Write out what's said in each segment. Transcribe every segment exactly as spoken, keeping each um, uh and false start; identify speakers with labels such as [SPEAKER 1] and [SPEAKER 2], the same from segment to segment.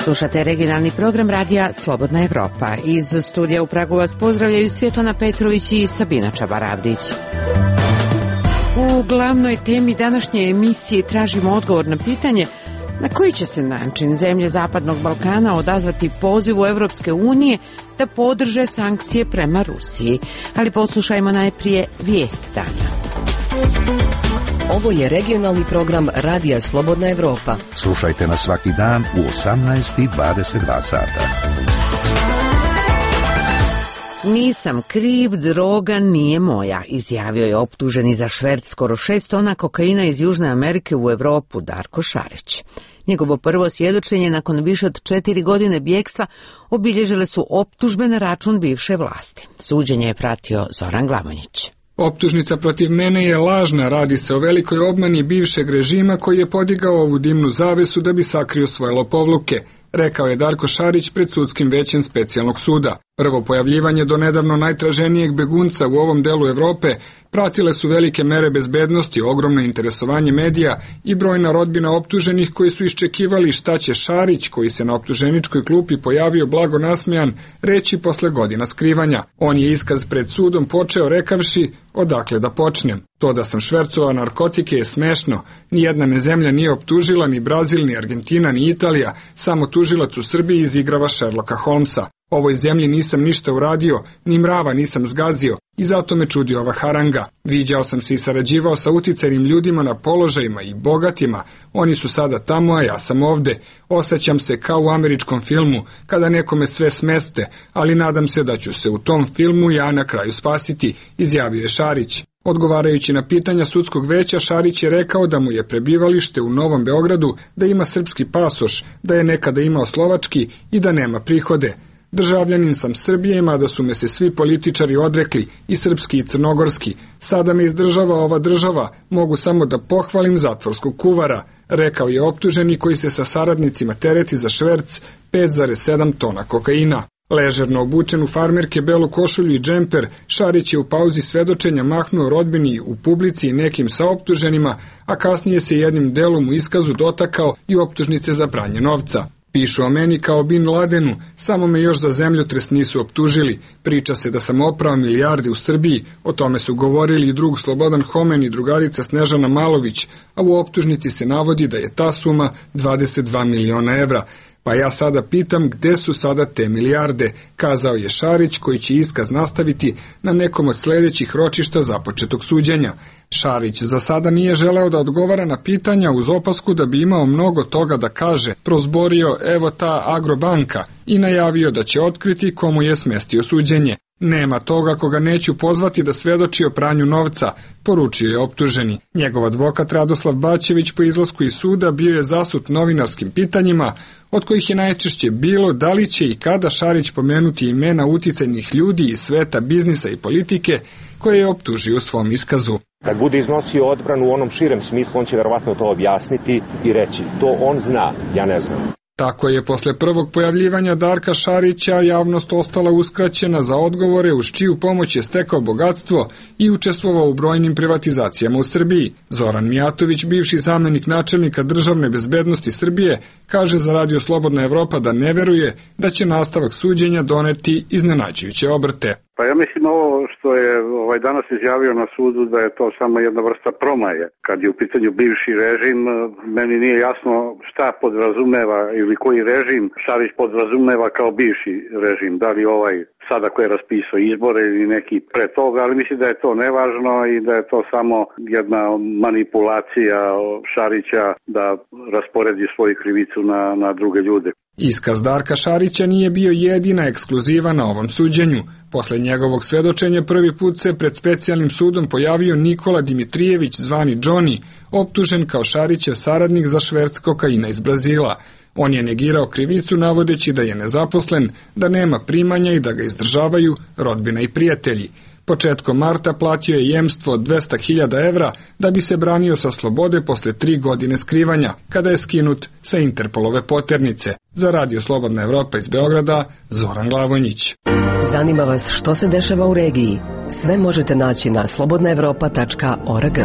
[SPEAKER 1] Slušate regionalni program radija Slobodna Evropa. Iz studija u Pragu vas pozdravljaju Svjetlana Petrović i Sabina Čabaravdić. U glavnoj temi današnje emisije tražimo odgovor na pitanje na koji će se način zemlje Zapadnog Balkana odazvati pozivu Evropske unije da podrže sankcije prema Rusiji. Ali poslušajmo najprije vijest dana.
[SPEAKER 2] Ovo je regionalni program radija Slobodna Evropa.
[SPEAKER 3] Slušajte nas svaki dan u osamnaest i dvadeset dva sata.
[SPEAKER 1] Nisam kriv, droga nije moja, izjavio je optuženi za šverc skoro šest tona kokaina iz Južne Amerike u Evropu Darko Šarić. Njegovo prvo svjedočenje nakon više od četiri godine bjegstva obilježile su optužbe na račun bivše vlasti. Suđenje je pratio Zoran Glavonjić.
[SPEAKER 4] Optužnica protiv mene je lažna, radi se o velikoj obmani bivšeg režima koji je podigao ovu dimnu zavesu da bi sakrio svoje lopovluke, rekao je Darko Šarić pred sudskim većem specijalnog suda. Prvo pojavljivanje do nedavno najtraženijeg begunca u ovom delu Evrope pratile su velike mere bezbednosti, ogromno interesovanje medija i brojna rodbina optuženih koji su iščekivali šta će Šarić, koji se na optuženičkoj klupi pojavio blago nasmejan, reći posle godina skrivanja. On je iskaz pred sudom počeo rekavši odakle da počnem. To da sam švercovao narkotike je smešno. Nijedna me zemlja nije optužila, ni Brazil, ni Argentina, ni Italija, samo tužilac u Srbiji izigrava Sherlocka Holmesa. Ovoj zemlji nisam ništa uradio, ni mrava nisam zgazio i zato me čudi ova haranga. Viđao sam se i sarađivao sa uticajnim ljudima na položajima i bogatima. Oni su sada tamo, a ja sam ovde. Osjećam se kao u američkom filmu, kada nekome sve smeste, ali nadam se da ću se u tom filmu ja na kraju spasiti, izjavio je Šarić. Odgovarajući na pitanja sudskog veća, Šarić je rekao da mu je prebivalište u Novom Beogradu, da ima srpski pasoš, da je nekada imao slovački i da nema prihode. Državljanin sam Srbije, mada su me se svi političari odrekli, i srpski i crnogorski. Sada me izdržava ova država, mogu samo da pohvalim zatvorskog kuvara, rekao je optuženi koji se sa saradnicima tereti za šverc pet zarez sedam tona kokaina. Ležerno obučen u farmerke, belu košulju i džemper, Šarić je u pauzi svedočenja mahnuo rodbini u publici i nekim saoptuženima, a kasnije se jednim delom u iskazu dotakao i optužnice za pranje novca. Pišu o meni kao Bin Ladenu, samo me još za zemljotres nisu optužili. Priča se da sam oprao milijarde u Srbiji, o tome su govorili i drug Slobodan Homen i drugarica Snežana Malović, a u optužnici se navodi da je ta suma dvadeset dva miliona evra. Pa ja sada pitam gde su sada te milijarde, kazao je Šarić koji će iskaz nastaviti na nekom od sljedećih ročišta započetog suđenja. Šarić za sada nije želeo da odgovara na pitanja uz opasku da bi imao mnogo toga da kaže, prozborio evo ta Agrobanka i najavio da će otkriti komu je smestio suđenje. Nema toga koga neću pozvati da svedoči o pranju novca, poručio je optuženi. Njegov advokat Radoslav Bačević po izlasku iz suda bio je zasut novinarskim pitanjima, od kojih je najčešće bilo da li će i kada Šarić pomenuti imena uticajnih ljudi iz sveta biznisa i politike koje je optužio u svom iskazu.
[SPEAKER 5] Kad bude iznosio odbranu u onom širem smislu, on će verovatno to objasniti i reći to on zna, ja ne znam.
[SPEAKER 4] Tako je posle prvog pojavljivanja Darka Šarića javnost ostala uskraćena za odgovore uz čiju pomoć je stekao bogatstvo i učestvovao u brojnim privatizacijama u Srbiji. Zoran Mijatović, bivši zamenik načelnika državne bezbednosti Srbije, kaže za Radio Slobodna Evropa da ne veruje da će nastavak suđenja doneti iznenađujuće obrte.
[SPEAKER 6] Pa ja mislim ovo što je ovaj danas izjavio na sudu da je to samo jedna vrsta promaje. Kad je u pitanju bivši režim, meni nije jasno šta podrazumeva ili koji režim Šarić podrazumeva kao bivši režim. Da li ovaj sada koji je raspisao izbore ili neki pre toga, ali mislim da je to nevažno i da je to samo jedna manipulacija Šarića da rasporedi svoju krivicu na, na druge ljude.
[SPEAKER 4] Iskaz Darka Šarića nije bio jedina ekskluziva na ovom suđenju. Posle njegovog svedočenja prvi put se pred specijalnim sudom pojavio Nikola Dimitrijević, zvani Johnny, optužen kao Šarićev saradnik za šverc kokaina iz Brazila. On je negirao krivicu navodeći da je nezaposlen, da nema primanja i da ga izdržavaju rodbina i prijatelji. Početkom marta platio je jemstvo od dvesta hiljada evra da bi se branio sa slobode posle tri godine skrivanja, kada je skinut sa Interpolove poternice. Za Radio Slobodna Evropa iz Beograda, Zoran Glavonjić.
[SPEAKER 2] Zanima vas što se dešava u regiji? Sve možete naći na slobodna evropa tačka org.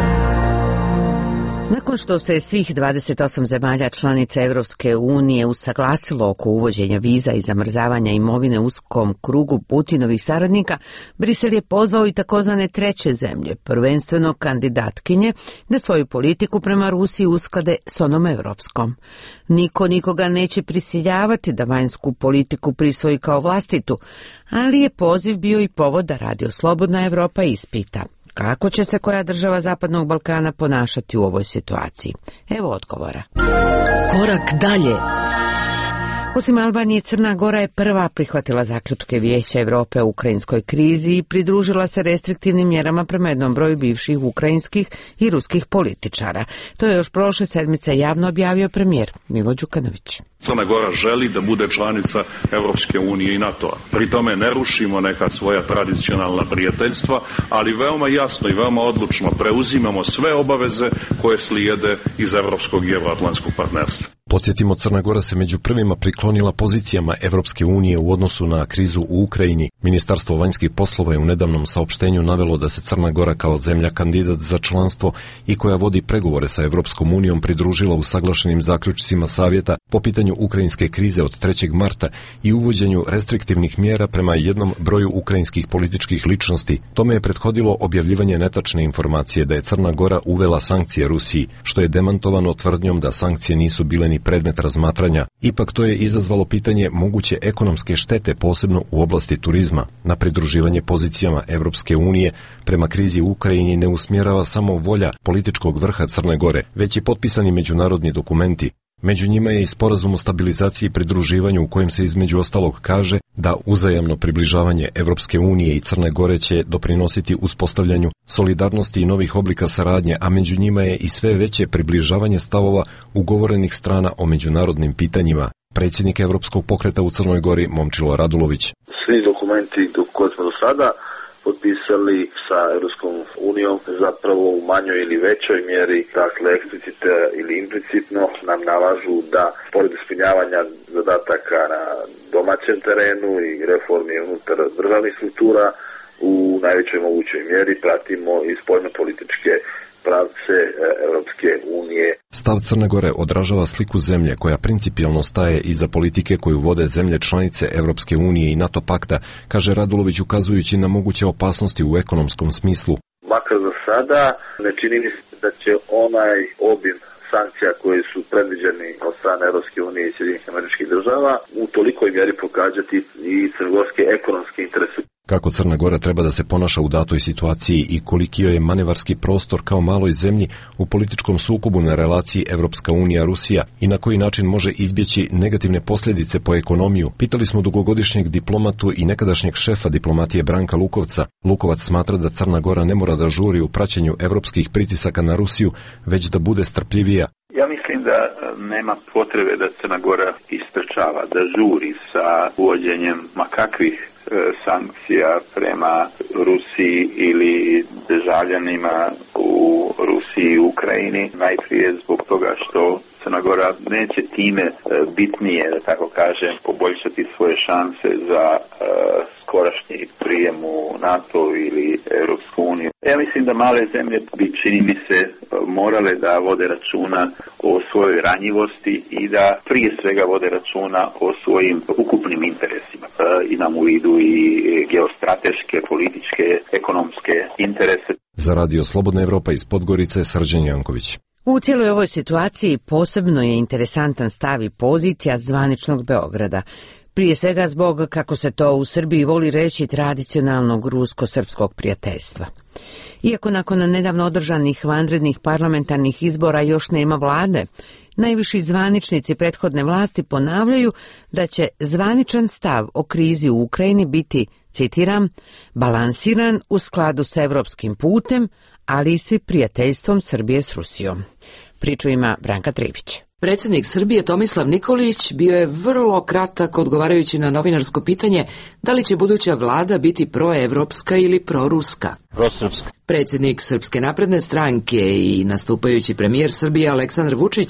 [SPEAKER 1] Nakon što se svih dvadeset osam zemalja članica Evropske unije usaglasilo oko uvođenja viza i zamrzavanja imovine uskom krugu Putinovih saradnika, Brisel je pozvao i takozvane treće zemlje, prvenstveno kandidatkinje, da svoju politiku prema Rusiji usklade s onom evropskom. Niko nikoga neće prisiljavati da vanjsku politiku prisvoji kao vlastitu, ali je poziv bio i povod da Radio Slobodna Evropa ispita kako će se koja država Zapadnog Balkana ponašati u ovoj situaciji. Evo odgovora.
[SPEAKER 2] Korak dalje.
[SPEAKER 1] Osim Albanije, Crna Gora je prva prihvatila zaključke Vijeća Evrope o ukrajinskoj krizi i pridružila se restriktivnim mjerama prema jednom broju bivših ukrajinskih i ruskih političara. To je još prošle sedmice javno objavio premijer Milo Đukanović.
[SPEAKER 7] Crna Gora želi da bude članica Evropske unije i NATO-a. Pri tome ne rušimo neka svoja tradicionalna prijateljstva, ali veoma jasno i veoma odlučno preuzimamo sve obaveze koje slijede iz evropskog i evroatlantskog partnerstva.
[SPEAKER 8] Podsjetimo, Crna Gora se među prvima priklonila pozicijama Evropske unije u odnosu na krizu u Ukrajini. Ministarstvo vanjskih poslova je u nedavnom saopštenju navelo da se Crna Gora kao zemlja kandidat za članstvo i koja vodi pregovore sa Evropskom unijom pridružila usaglašenim zaključcima savjeta po pitanju ukrajinske krize od trećeg marta i uvođenju restriktivnih mjera prema jednom broju ukrajinskih političkih ličnosti. Tome je prethodilo objavljivanje netačne informacije da je Crna Gora uvela sankcije Rusiji, što je demantovano tvrdnjom da sankcije nisu bile ni predmet razmatranja. Ipak to je izazvalo pitanje moguće ekonomske štete, posebno u oblasti turizma. Na pridruživanje pozicijama Evropske unije prema krizi u Ukrajini ne usmjerava samo volja političkog vrha Crne Gore, već i potpisani međunarodni dokumenti. Među njima je i sporazum o stabilizaciji i pridruživanju u kojem se između ostalog kaže da uzajamno približavanje Evropske unije i Crne Gore će doprinositi uspostavljanju solidarnosti i novih oblika saradnje, a među njima je i sve veće približavanje stavova ugovorenih strana o međunarodnim pitanjima. Predsjednik Evropskog pokreta u Crnoj Gori Momčilo Radulović.
[SPEAKER 9] Svi dokumenti koje smo do sada potpisali sa Europskom unijom zapravo u manjoj ili većoj mjeri, dakle eksplicitno ili implicitno nam nalažu da pored ispunjavanja zadataka na domaćem terenu i reformi unutar državnih struktura u najvećoj mogućoj mjeri pratimo i spoljnopolitičke pravce Europske unije.
[SPEAKER 8] Stav Crne Gore odražava sliku zemlje koja principijelno staje iza politike koju vode zemlje članice Europske unije i NATO pakta, kaže Radulović ukazujući na moguće opasnosti u ekonomskom smislu.
[SPEAKER 9] Makar za sada ne čini mi se da će onaj obim sankcija koji su predviđeni od strane Europske unije i Sjedinjenih Američkih Država u tolikoj mjeri pokazati i crnogorske ekonomske interese.
[SPEAKER 8] Kako Crna Gora treba da se ponaša u datoj situaciji i koliki joj je manevarski prostor kao maloj zemlji u političkom sukobu na relaciji Evropska unija-Rusija i na koji način može izbjeći negativne posljedice po ekonomiju, pitali smo dugogodišnjeg diplomatu i nekadašnjeg šefa diplomatije Branka Lukovca. Lukovac smatra da Crna Gora ne mora da žuri u praćenju evropskih pritisaka na Rusiju, već da bude strpljivija.
[SPEAKER 10] Ja mislim da nema potrebe da Crna Gora istrčava, da žuri sa uvođenjem ma kakvih sankcija prema Rusiji ili državljanima u Rusiji i Ukrajini. Najprije zbog toga što Crna Gora neće time bitnije, da tako kažem, poboljšati svoje šanse za uh, skorašnji prijem u NATO ili Europsku uniju. Ja mislim da male zemlje bi, čini mi se, morale da vode računa o svojoj ranjivosti i da prije svega vode računa o svojim ukupnim interesima. Uh, imam u vidu i geostrateške, političke, ekonomske interese.
[SPEAKER 8] Za Radio Slobodna Evropa iz Podgorice, Srđan Janković.
[SPEAKER 1] U cijeloj ovoj situaciji posebno je interesantan stav i pozicija zvaničnog Beograda. Prije svega zbog, kako se to u Srbiji voli reći, tradicionalnog rusko-srpskog prijateljstva. Iako nakon nedavno održanih vanrednih parlamentarnih izbora još nema vlade, najviši zvaničnici prethodne vlasti ponavljaju da će zvaničan stav o krizi u Ukrajini biti, citiram, balansiran u skladu s evropskim putem, ali i s prijateljstvom Srbije s Rusijom. Priču ima Branka Trivić.
[SPEAKER 2] Predsjednik Srbije Tomislav Nikolić bio je vrlo kratak odgovarajući na novinarsko pitanje da li će buduća vlada biti proevropska ili proruska.
[SPEAKER 11] Prosrpska.
[SPEAKER 2] Predsjednik Srpske napredne stranke i nastupajući premijer Srbije Aleksandar Vučić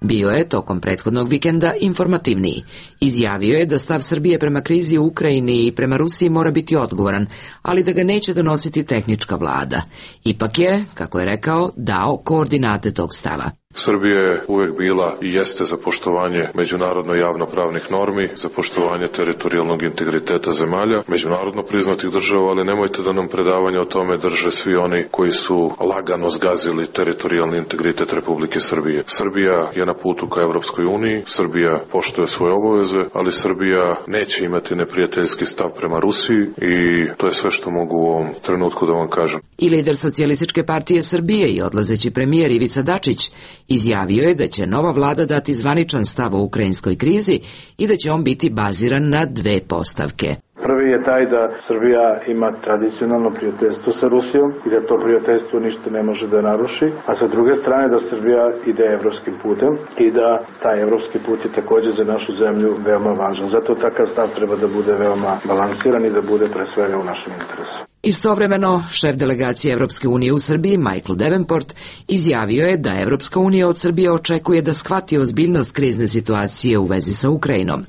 [SPEAKER 2] bio je tokom prethodnog vikenda informativniji. Izjavio je da stav Srbije prema krizi u Ukrajini i prema Rusiji mora biti odgovoran, ali da ga neće donositi tehnička vlada. Ipak je, kako je rekao, dao koordinate tog stava.
[SPEAKER 12] Srbija je uvek bila i jeste za poštovanje međunarodno javnopravnih normi, za poštovanje teritorijalnog integriteta zemalja, međunarodno priznatih država, ali nemojte da nam predavanje o tome drže svi oni koji su lagano zgazili teritorijalni integritet Republike Srbije. Srbija je na putu ka Evropskoj uniji, Srbija poštuje svoje obaveze, ali Srbija neće imati neprijateljski stav prema Rusiji i to je sve što mogu u ovom trenutku da vam kažem.
[SPEAKER 2] I lider Socijalističke partije Srbije i odlazeći premijer Ivica Dačić izjavio je da će nova vlada dati zvaničan stav o ukrajinskoj krizi i da će on biti baziran na dve postavke.
[SPEAKER 13] Prvi je taj da Srbija ima tradicionalno prijateljstvo sa Rusijom i da to prijateljstvo ništa ne može da naruši, a sa druge strane da Srbija ide evropskim putem i da taj evropski put je također za našu zemlju veoma važan. Zato takav stav treba da bude veoma balansiran i da bude pre svega u našem interesu.
[SPEAKER 2] Istovremeno, šef delegacije Evropske unije u Srbiji, Michael Davenport, izjavio je da Evropska unija od Srbije očekuje da shvati ozbiljnost krizne situacije u vezi sa Ukrajinom.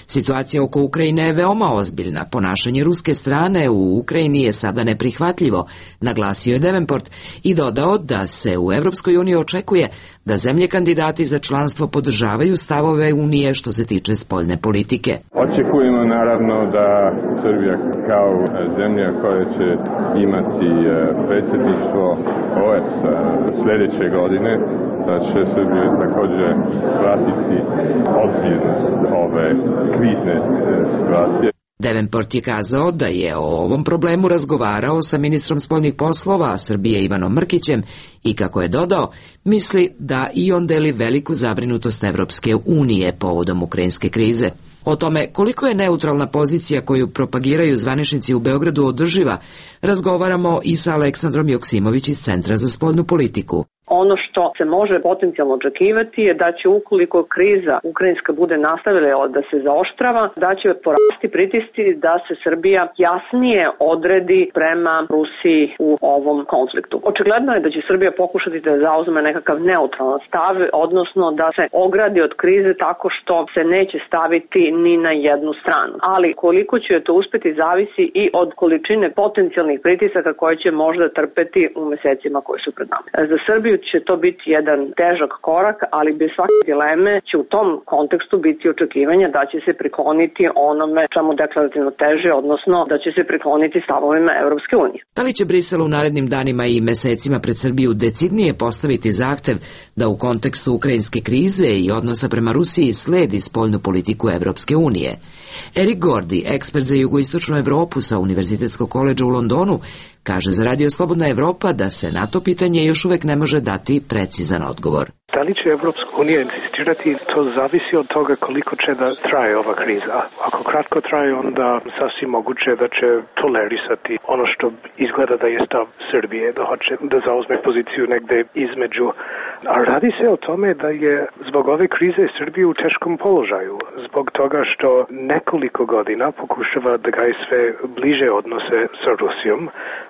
[SPEAKER 2] Situacija oko Ukrajine je veoma ozbiljna. Ponašanje ruske strane u Ukrajini je sada neprihvatljivo, naglasio je Davenport i dodao da se u Evropskoj uniji očekuje da zemlje kandidati za članstvo podržavaju stavove Unije što se tiče spoljne politike.
[SPEAKER 14] Očekujemo naravno da Srbija kao zemlja koja će imati predsjedništvo O E B S-a sljedeće godine, da će Srbija također pratiti ozbiljnost ove krizne situacije.
[SPEAKER 2] Davenport je kazao da je o ovom problemu razgovarao sa ministrom spoljnih poslova Srbije Ivanom Mrkićem i, kako je dodao, misli da i on deli veliku zabrinutost Evropske unije povodom ukrajinske krize. O tome koliko je neutralna pozicija koju propagiraju zvaničnici u Beogradu održiva, razgovaramo i sa Aleksandrom Joksimović iz Centra za spoljnu politiku.
[SPEAKER 15] Ono što se može potencijalno očekivati je da će, ukoliko kriza ukrajinska bude nastavila da se zaoštrava, da će porasti pritisci da se Srbija jasnije odredi prema Rusiji u ovom konfliktu. Očigledno je da će Srbija pokušati da zauzme nekakav neutralan stav, odnosno da se ogradi od krize tako što se neće staviti ni na jednu stranu. Ali koliko će to uspeti zavisi i od količine potencijalnih pritisaka koje će možda trpeti u mesecima koji su pred nama. Za Srbiju će to biti jedan težak korak, ali bez svake dileme će u tom kontekstu biti očekivanja da će se prikloniti onome čemu deklarativno teže, odnosno da će se prikloniti stavovima Evropske unije.
[SPEAKER 2] Da li će Brisel u narednim danima i mesecima pred Srbiju decidnije postaviti zahtev da u kontekstu ukrajinske krize i odnosa prema Rusiji sledi spoljnu politiku Evropske unije? Erik Gordi, ekspert za jugoistočnu Evropu sa Univerzitetskog koledža u Londonu, kaže za Radio Slobodna Evropa da se na to pitanje još uvek ne može dati precizan odgovor.
[SPEAKER 16] Da li će Evropska unija insistirati, to zavisi od toga koliko će da traje ova kriza. Ako kratko traje, onda sasvim moguće da će tolerisati ono što izgleda da je stav Srbije, da hoće da zauzme poziciju negde između. A radi se o tome da je zbog ove krize Srbije u teškom položaju, zbog toga što nekoliko godina pokušava da gaje sve bliže odnose sa Rusijom,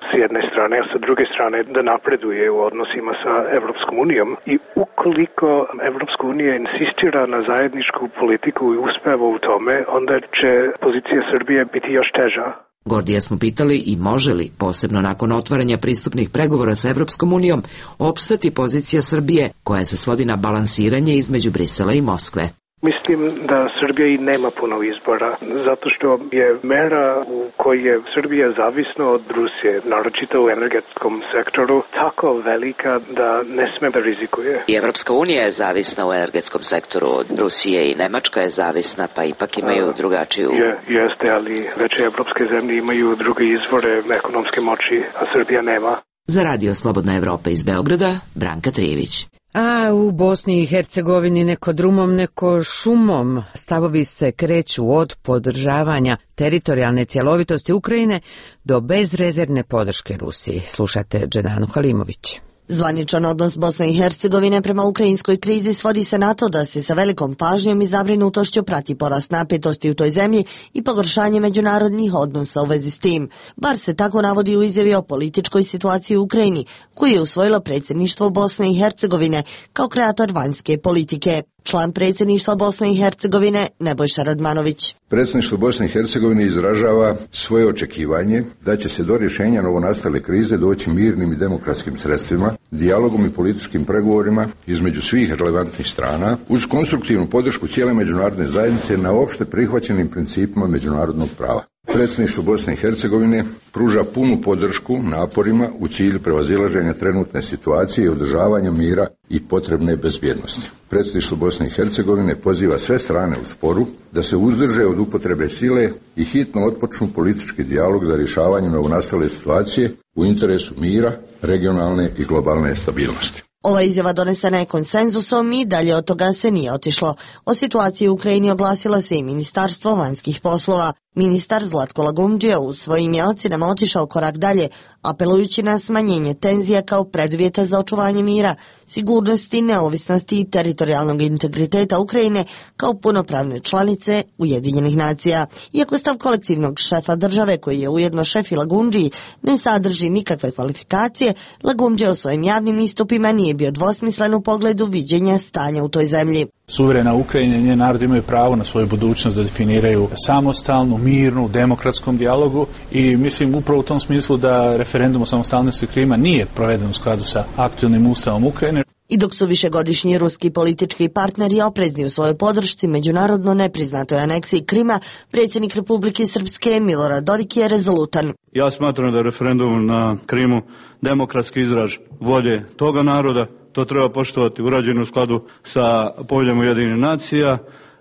[SPEAKER 16] s jedne strane, a sa druge strane da napreduje u odnosima sa Evropskom unijom i ukoliko Evropska unija insistira na zajedničku politiku i uspeva u tome, onda će pozicija Srbije biti još teža.
[SPEAKER 2] Gordija smo pitali i može li, posebno nakon otvaranja pristupnih pregovora sa Evropskom unijom, opstati pozicija Srbije koja se svodi na balansiranje između Brisela i Moskve.
[SPEAKER 16] Mislim da Srbija i nema puno izbora, zato što je mera u kojoj je Srbija zavisna od Rusije, naročito u energetskom sektoru, tako velika da ne sme da rizikuje.
[SPEAKER 17] I Evropska unija je zavisna u energetskom sektoru od Rusije i Nemačka je zavisna, pa ipak imaju drugačiju...
[SPEAKER 16] Je, jeste, ali veće evropske zemlje imaju druge izvore ekonomske moći, a Srbija nema.
[SPEAKER 2] Za Radio Slobodna Evropa iz Beograda, Branka Trijević.
[SPEAKER 1] A u Bosni i Hercegovini neko drumom, neko šumom stavovi se kreću od podržavanja teritorijalne cjelovitosti Ukrajine do bezrezervne podrške Rusiji. Slušate Dženanu Halimović.
[SPEAKER 11] Zvaničan odnos Bosne i Hercegovine prema ukrajinskoj krizi svodi se na to da se sa velikom pažnjom i zabrinutošću prati porast napetosti u toj zemlji i pogoršanje međunarodnih odnosa u vezi s tim. Bar se tako navodi u izjavi o političkoj situaciji u Ukrajini, koju je usvojilo predsjedništvo Bosne i Hercegovine kao kreator vanjske politike. Član predsjedništva Bosne i Hercegovine Nebojša Radmanović.
[SPEAKER 18] Predsjedništvo Bosne i Hercegovine izražava svoje očekivanje da će se do rješenja novonastale krize doći mirnim i demokratskim sredstvima, dijalogom i političkim pregovorima između svih relevantnih strana, uz konstruktivnu podršku cijele međunarodne zajednice na opšte prihvaćenim principima međunarodnog prava. Predsjedništvo Bosne i Hercegovine pruža punu podršku naporima u cilju prevazilaženja trenutne situacije i održavanja mira i potrebne bezbjednosti. Predsjedništvo Bosne i Hercegovine poziva sve strane u sporu da se uzdrže od upotrebe sile i hitno otpočnu politički dijalog za rješavanje novonastale situacije u interesu mira, regionalne i globalne stabilnosti.
[SPEAKER 11] Ova izjava donesena je konsenzusom i dalje od toga se nije otišlo. O situaciji u Ukrajini oglasilo se i Ministarstvo vanjskih poslova. Ministar Zlatko Lagumdžija u svojim je ocjenama otišao korak dalje, apelujući na smanjenje tenzija kao preduvjeta za očuvanje mira, sigurnosti, neovisnosti i teritorijalnog integriteta Ukrajine kao punopravne članice Ujedinjenih nacija. Iako stav kolektivnog šefa države, koji je ujedno šef i Lagumdžiji, ne sadrži nikakve kvalifikacije, Lagumdžija u svojim javnim istupima nije bio dvosmislen u pogledu viđenja stanja u toj zemlji.
[SPEAKER 19] Suverena Ukrajina i njen narod imaju pravo na svoju budućnost da definiraju samostalnu, mirnu, demokratskom dijalogu i mislim upravo u tom smislu da referendum o samostalnosti Krima nije proveden u skladu sa aktualnim ustavom Ukrajine.
[SPEAKER 11] I dok su višegodišnji ruski politički partneri oprezni u svojoj podršci međunarodno nepriznatoj aneksiji Krima, predsjednik Republike Srpske Milorad Dodik je rezolutan.
[SPEAKER 20] Ja smatram da je referendum na Krimu demokratski izraz volje toga naroda. To treba poštovati, urađeno u skladu sa poveljom Ujedinjenih nacija.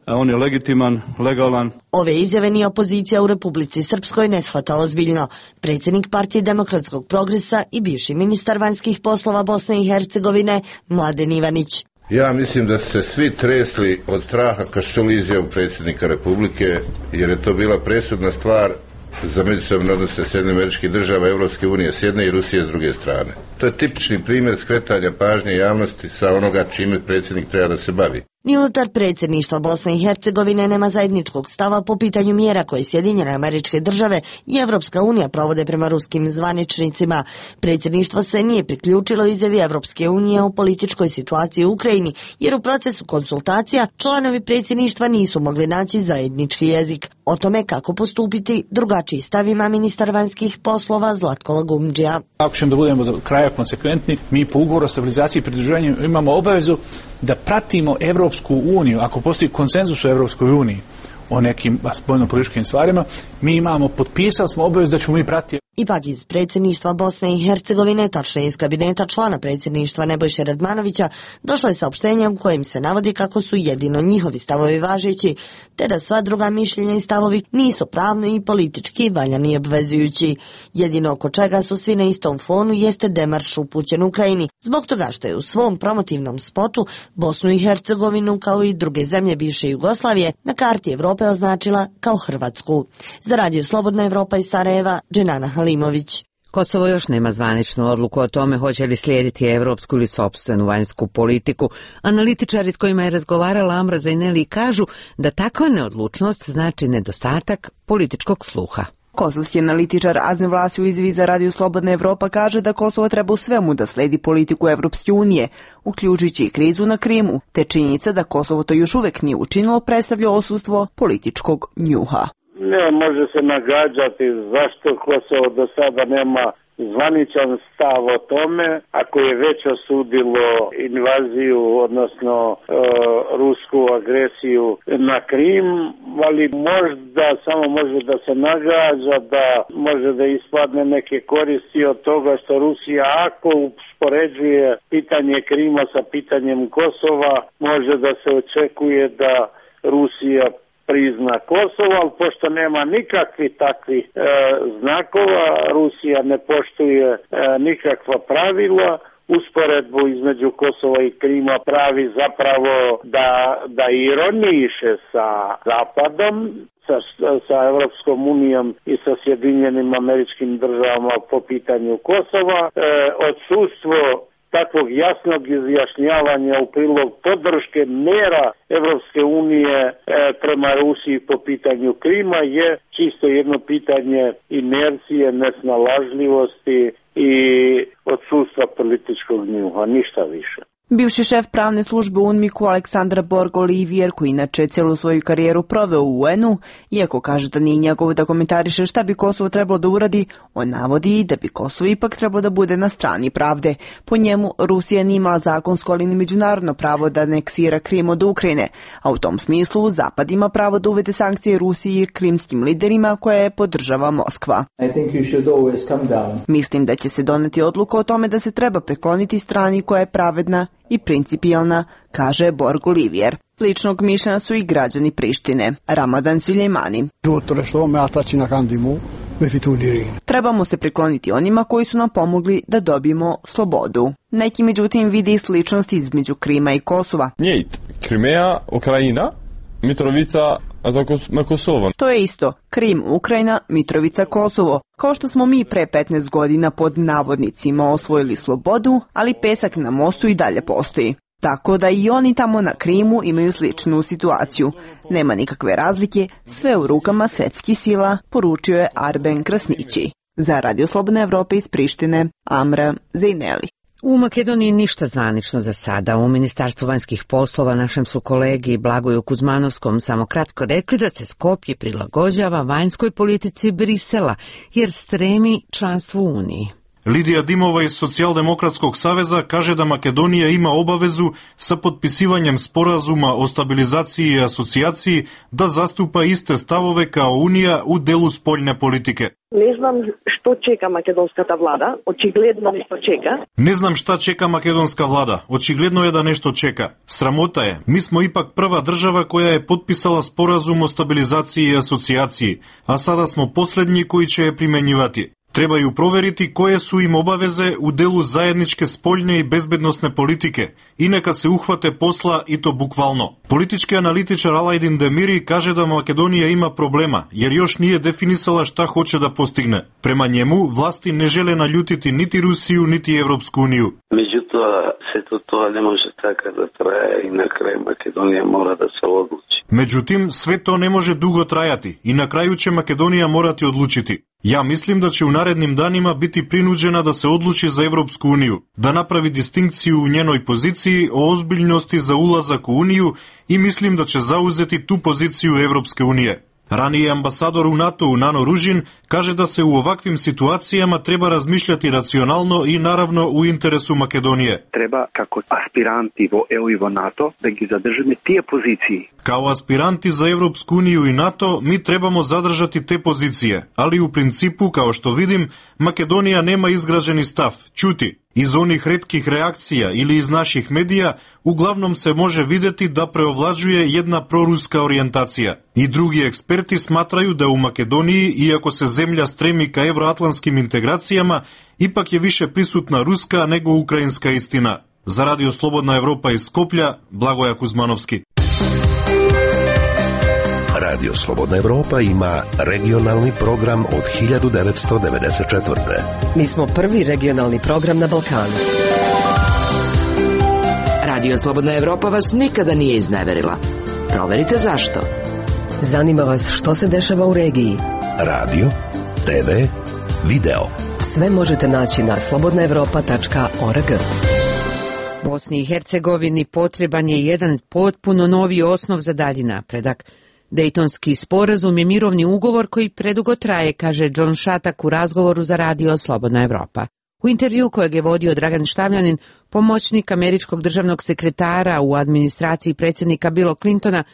[SPEAKER 20] On je legitiman, legalan.
[SPEAKER 11] Ove izjave ni opozicija u Republici Srpskoj ne shvata ozbiljno. Predsjednik Partije demokratskog progresa i bivši ministar vanjskih poslova Bosne i Hercegovine Mladen Ivanić.
[SPEAKER 21] Ja mislim da su se svi tresli od straha kad su čuli izjavu predsjednika Republike, jer je to bila presudna stvar za međusobne odnose Sjedinjenih Američkih Država, Europske unije s jedne i Rusije s druge strane. To je tipični primjer skretanja pažnje javnosti sa onoga čime predsjednik treba da se bavi.
[SPEAKER 11] Ni unutar predsjedništva Bosne i Hercegovine nema zajedničkog stava po pitanju mjera koje Sjedinjene Američke Države i Evropska unija provode prema ruskim zvaničnicima. Predsjedništvo se nije priključilo izjavi Evropske unije o političkoj situaciji u Ukrajini, jer u procesu konsultacija članovi predsjedništva nisu mogli naći zajednički jezik. O tome kako postupiti drugačiji stav ima ministar vanjskih poslova Zlatko Lagumdžija.
[SPEAKER 19] Ako ćemo da budemo do kraja konsekventni, mi po ugovoru o stabilizaciji i pridruživanju imamo obavezu da pratimo Evropsku uniju. Ako postoji konsenzus u Evropskoj uniji o nekim spoljno-političkim stvarima, mi imamo, potpisali smo obavezu da ćemo mi pratiti.
[SPEAKER 11] Ipak iz predsjedništva Bosne i Hercegovine, tačnije iz kabineta člana predsjedništva Nebojše Radmanovića, došlo je saopštenje u kojem se navodi kako su jedino njihovi stavovi važeći, te da sva druga mišljenja i stavovi nisu pravno i politički valjani i obvezujući. Jedino oko čega su svi na istom fonu jeste demarš upućen Ukrajini, zbog toga što je u svom promotivnom spotu Bosnu i Hercegovinu kao i druge zemlje bivše Jugoslavije na karti Evrope označila kao Hrvatsku. Za Radio Slobodna Evropa iz Sarajeva, Dženana Halimović.
[SPEAKER 1] Kosovo još nema zvaničnu odluku o tome hoće li slijediti evropsku ili sopstvenu vanjsku politiku. Analitičari s kojima je razgovarala Amra Zajneli kažu da takva neodlučnost znači nedostatak političkog sluha.
[SPEAKER 22] Kosovski analitičar Azem Vlasi u izjavi za Radio Slobodna Evropa kaže da Kosovo treba u svemu da sledi politiku Evropske unije, uključujući i krizu na Krimu, te činjenica da Kosovo to još uvek nije učinilo predstavlja odsustvo političkog njuha.
[SPEAKER 23] Ne može se nagađati zašto Kosovo do sada nema zvaničan stav o tome, ako je već osudilo invaziju, odnosno e, rusku agresiju na Krim, ali možda samo može da se nagađa da može da ispadne neke koristi od toga što Rusija, ako uspoređuje pitanje Krima sa pitanjem Kosova, može da se očekuje da Rusija prizna Kosovo, ali pošto nema nikakvih takvih e, znakova, Rusija ne poštuje e, nikakva pravila, usporedbu između Kosova i Krima pravi zapravo da, da ironiše sa Zapadom, sa, sa Evropskom unijom i sa Sjedinjenim Američkim Državama po pitanju Kosova. E, odsustvo takvog jasnog izjašnjavanja u prilog podrške mera Evropske unije e, prema Rusiji po pitanju Krima je čisto jedno pitanje inercije, nesnalažljivosti i odsustva političkog njuha, ništa više.
[SPEAKER 22] Bivši šef pravne službe u UNMIK-u Aleksandar Borg-Olivier, koji inače cijelu svoju karijeru proveo u U N-u, iako kaže da nije njegovo da komentariše šta bi Kosovo trebalo da uradi, on navodi da bi Kosovo ipak trebalo da bude na strani pravde. Po njemu, Rusija nije imala zakonsko, ali ni međunarodno pravo da aneksira Krim od Ukrajine, a u tom smislu Zapad ima pravo da uvede sankcije Rusiji i krimskim liderima koje podržava Moskva. Mislim da će se doneti odluka o tome da se treba prekloniti strani koja je pravedna i principijelna, kaže Borg-Olivier. Ličnog mišljenja su i građani Prištine. Ramadan Suljejmani. Trebamo se prikloniti onima koji su nam pomogli da dobijemo slobodu. Neki međutim vidi i sličnosti između Krima i Kosova.
[SPEAKER 3] Njejt, Krimeja, Ukrajina, Mitrovica, na Kosovo.
[SPEAKER 22] To je isto. Krim, Ukrajina, Mitrovica, Kosovo. Kao što smo mi pre petnaest godina pod navodnicima osvojili slobodu, ali pesak na mostu i dalje postoji. Tako da i oni tamo na Krimu imaju sličnu situaciju. Nema nikakve razlike, sve u rukama svetskih sila, poručio je Arben Krasnići. Za Radio Slobodna Evropa iz Prištine, Amra Zejneli.
[SPEAKER 1] U Makedoniji ništa zvanično za sada. U Ministarstvu vanjskih poslova našem su kolegi Blagoju Kuzmanovskom samo kratko rekli da se Skopje prilagođava vanjskoj politici Brisela, jer stremi članstvu u Uniji.
[SPEAKER 5] Lidija Dimova iz Socijaldemokratskog saveza kaže da Makedonija ima obavezu sa potpisivanjem sporazuma o stabilizaciji i asocijaciji da zastupa iste stavove kao Unija u delu spoljne politike.
[SPEAKER 6] Ne znam što čeka makedonskата vlada, očigledno nešto čeka.
[SPEAKER 5] Ne znam šta čeka makedonska vlada, očigledno je da nešto čeka. Sramota je, mi smo ipak prva država koja je potpisala sporazum o stabilizaciji i asocijaciji, a sada smo posljednji koji će je primenjivati. Trebaju proveriti koje su im obaveze u delu zajedničke spoljne i bezbednosne politike i neka se uhvate posla i to bukvalno. Politički analitičar Alajdin Demiri kaže da Makedonija ima problema jer još nije definisala šta hoće da postigne. Prema njemu, vlasti ne žele naljutiti niti Rusiju niti Evropsku uniju.
[SPEAKER 24] Međutim, sve to, to ne može tako da traje i na kraju Makedonija mora da se odluči.
[SPEAKER 5] Međutim, sve to ne može dugo trajati i na kraju će Makedonija morati odlučiti. Ja mislim da će u narednim danima biti prinuđena da se odluči za Evropsku uniju, da napravi distinkciju u njenoj poziciji o ozbiljnosti za ulazak u Uniju i mislim da će zauzeti tu poziciju Evropske unije. Ranije ambasador u NATO-u Nano Ružin kaže da se u ovakvim situacijama treba razmišljati racionalno i naravno u interesu Makedonije.
[SPEAKER 25] Treba kako aspiranti vo E U i vo NATO da gi zadržime tije poziciji.
[SPEAKER 5] Kao aspiranti za Evropsku uniju i NATO mi trebamo zadržati te pozicije, ali u principu, kao što vidim, Makedonija nema izgrađeni stav, ćuti. Iz onih retkih reakcija ili iz naših medija uglavnom se može videti da preovlađuje jedna proruska orijentacija. I drugi eksperti smatraju da u Makedoniji, iako se zemlja stremi ka evroatlantskim integracijama, ipak je više prisutna ruska nego ukrajinska istina. Za Radio Slobodna Evropa iz Skoplja, Blagoja Kuzmanovski.
[SPEAKER 26] Radio Slobodna Evropa ima regionalni program od hiljadu devetsto devedeset četvrte.
[SPEAKER 27] Mi smo prvi regionalni program na Balkanu.
[SPEAKER 2] Radio Slobodna Evropa vas nikada nije izneverila. Proverite zašto.
[SPEAKER 27] Zanima vas što se dešava u regiji.
[SPEAKER 26] Radio, te ve, video.
[SPEAKER 27] Sve možete naći na slobodna evropa tačka org.
[SPEAKER 1] Bosni i Hercegovini potreban je jedan potpuno novi osnov za dalji napredak. Dejtonski sporazum je mirovni ugovor koji predugo traje, kaže John Šatak u razgovoru za Radio Slobodna Evropa. U intervju kojeg je vodio Dragan Štavljanin, pomoćnik američkog državnog sekretara u administraciji predsjednika Billa Clintona,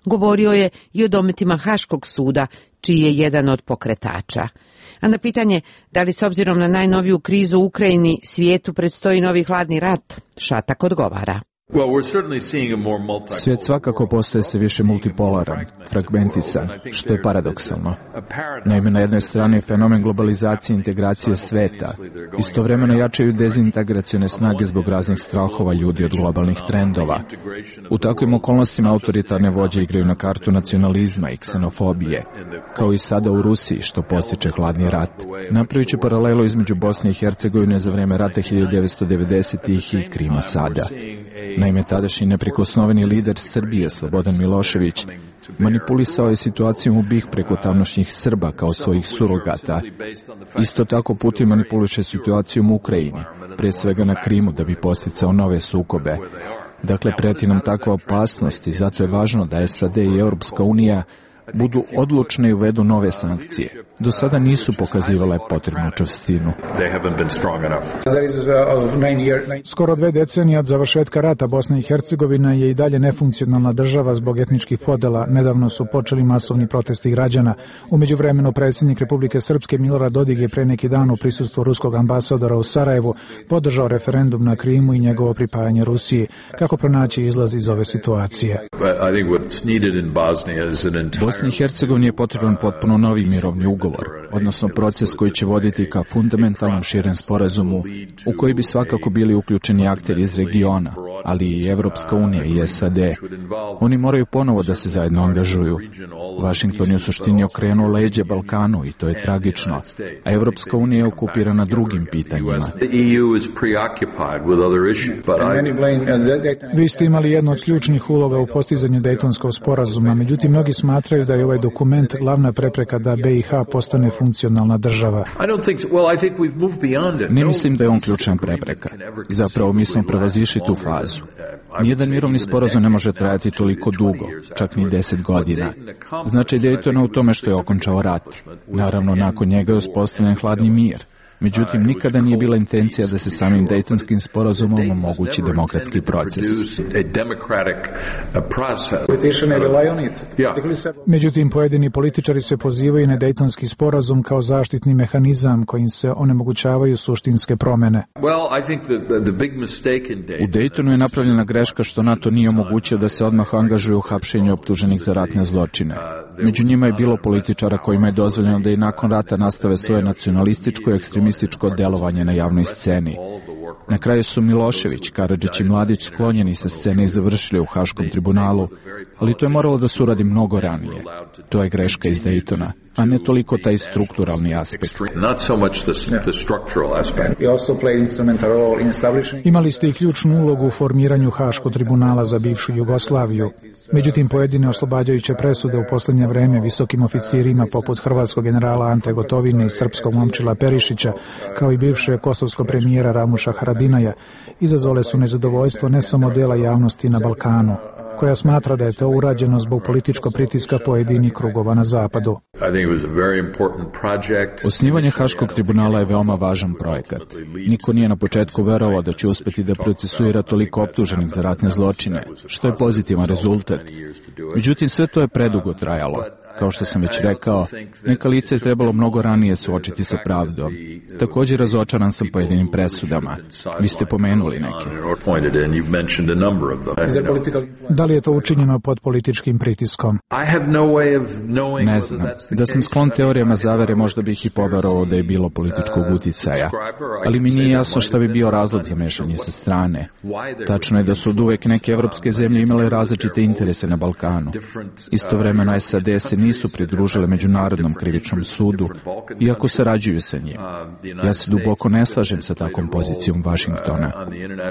[SPEAKER 1] govorio je i o dometima Haškog suda, čiji je jedan od pokretača. A na pitanje da li s obzirom na najnoviju krizu u Ukrajini svijetu predstoji novi hladni rat, Šatak odgovara.
[SPEAKER 4] Svijet svakako postaje se više multipolaran, fragmentisan, što je paradoksalno. Naime, na jednoj strani je fenomen globalizacije i integracije sveta. Istovremeno jačaju dezintegracione snage zbog raznih strahova ljudi od globalnih trendova. U takvim okolnostima autoritarne vođe igraju na kartu nacionalizma i ksenofobije, kao i sada u Rusiji, što postiče hladni rat. Napravići paralelu između Bosne i Hercegovine za vreme rata hiljadu devetsto devedesetih i Krima sada. Naime, tadašnji neprikosnoveni lider Srbije, Slobodan Milošević, manipulisao je situacijom u B i H preko tamnošnjih Srba kao svojih surogata. Isto tako Putin manipuliše situacijom u Ukrajini, pre svega na Krimu, da bi posticao nove sukobe. Dakle, preti nam takva opasnost i zato je važno da S A D i Europska unija budu odlučne i uvedu nove sankcije. Do sada nisu pokazivale potrebnu čvrstinu.
[SPEAKER 7] Skoro dve decenije od završetka rata Bosna i Hercegovina je i dalje nefunkcionalna država zbog etničkih podela. Nedavno su počeli masovni protesti građana. U međuvremenu predsjednik Republike Srpske Milorad Dodik je pre neki dan u prisustvu ruskog ambasadora u Sarajevu podržao referendum na Krimu i njegovo pripajanje Rusiji. Kako pronaći izlaz iz ove situacije?
[SPEAKER 4] Bosni i Hercegovini je potreban potpuno novi mirovni ugovor, odnosno proces koji će voditi ka fundamentalnom širem sporazumu u koji bi svakako bili uključeni akteri iz regiona, ali i Evropska unija i S A D. Oni moraju ponovo da se zajedno angažuju. Washington je u suštini okrenuo leđe Balkanu i to je tragično, a Evropska unija je okupirana drugim pitanjima.
[SPEAKER 7] Vi ste imali jednu od ključnih uloga u postizanju Dejtonskog sporazuma, međutim mnogi smatraju da je ovaj dokument glavna prepreka da B i H postane funkcionalna država.
[SPEAKER 4] Ne mislim da je on ključna prepreka. Zapravo mi smo prevazišli tu fazu. Nijedan mirovni sporazum ne može trajati toliko dugo, čak ni deset godina. Značaj Dejtona u tome što je okončao rat. Naravno, nakon njega je uspostavljen hladni mir. Međutim, nikada nije bila intencija da se samim Dejtonskim sporazumom omogući demokratski proces.
[SPEAKER 7] Međutim, pojedini političari se pozivaju na Dejtonski sporazum kao zaštitni mehanizam kojim se onemogućavaju suštinske promene.
[SPEAKER 4] U Dejtonu je napravljena greška što NATO nije omogućio da se odmah angažuje u hapšenju optuženih za ratne zločine. Među njima je bilo političara kojima je dozvoljeno da i nakon rata nastave svoje nacionalističko i ekstremističko delovanje na javnoj sceni. Na kraju su Milošević, Karadžić i Mladić sklonjeni sa scene i završili u Haškom tribunalu, ali to je moralo da se uradi mnogo ranije. To je greška iz Dejtona, a ne toliko taj strukturalni aspekt.
[SPEAKER 7] Imali ste i ključnu ulogu u formiranju Haškog tribunala za bivšu Jugoslaviju. Međutim, pojedine oslobađajuće presude u posljednje vreme visokim oficirima poput hrvatskog generala Ante Gotovine i srpskog Momčila Perišića, kao i bivše kosovskog premijera Ramuša Haradinaja, izazvale su nezadovoljstvo ne samo dela javnosti na Balkanu, koja smatra da je to urađeno zbog političkog pritiska pojedinih krugova na zapadu.
[SPEAKER 4] Osnivanje Haškog tribunala je veoma važan projekat. Niko nije na početku verovao da će uspeti da procesuira toliko optuženih za ratne zločine, što je pozitivan rezultat. Međutim, sve to je predugo trajalo. Kao što sam već rekao, neka lica je trebalo mnogo ranije suočiti sa pravdom. Također razočaran sam pojedinim presudama. Vi ste pomenuli neke.
[SPEAKER 7] Da li je to učinjeno pod političkim pritiskom?
[SPEAKER 4] Ne znam. Da sam sklon teorijama zavere, možda bih i poverovao da je bilo političkog uticaja. Ali mi nije jasno šta bi bio razlog za mešanje sa strane. Tačno je da su oduvek neke evropske zemlje imale različite interese na Balkanu. Istovremeno S A D se nisu pridružile Međunarodnom krivičnom sudu, iako sarađuju sa njim. Ja se duboko ne slažem sa takvom pozicijom Vašingtona.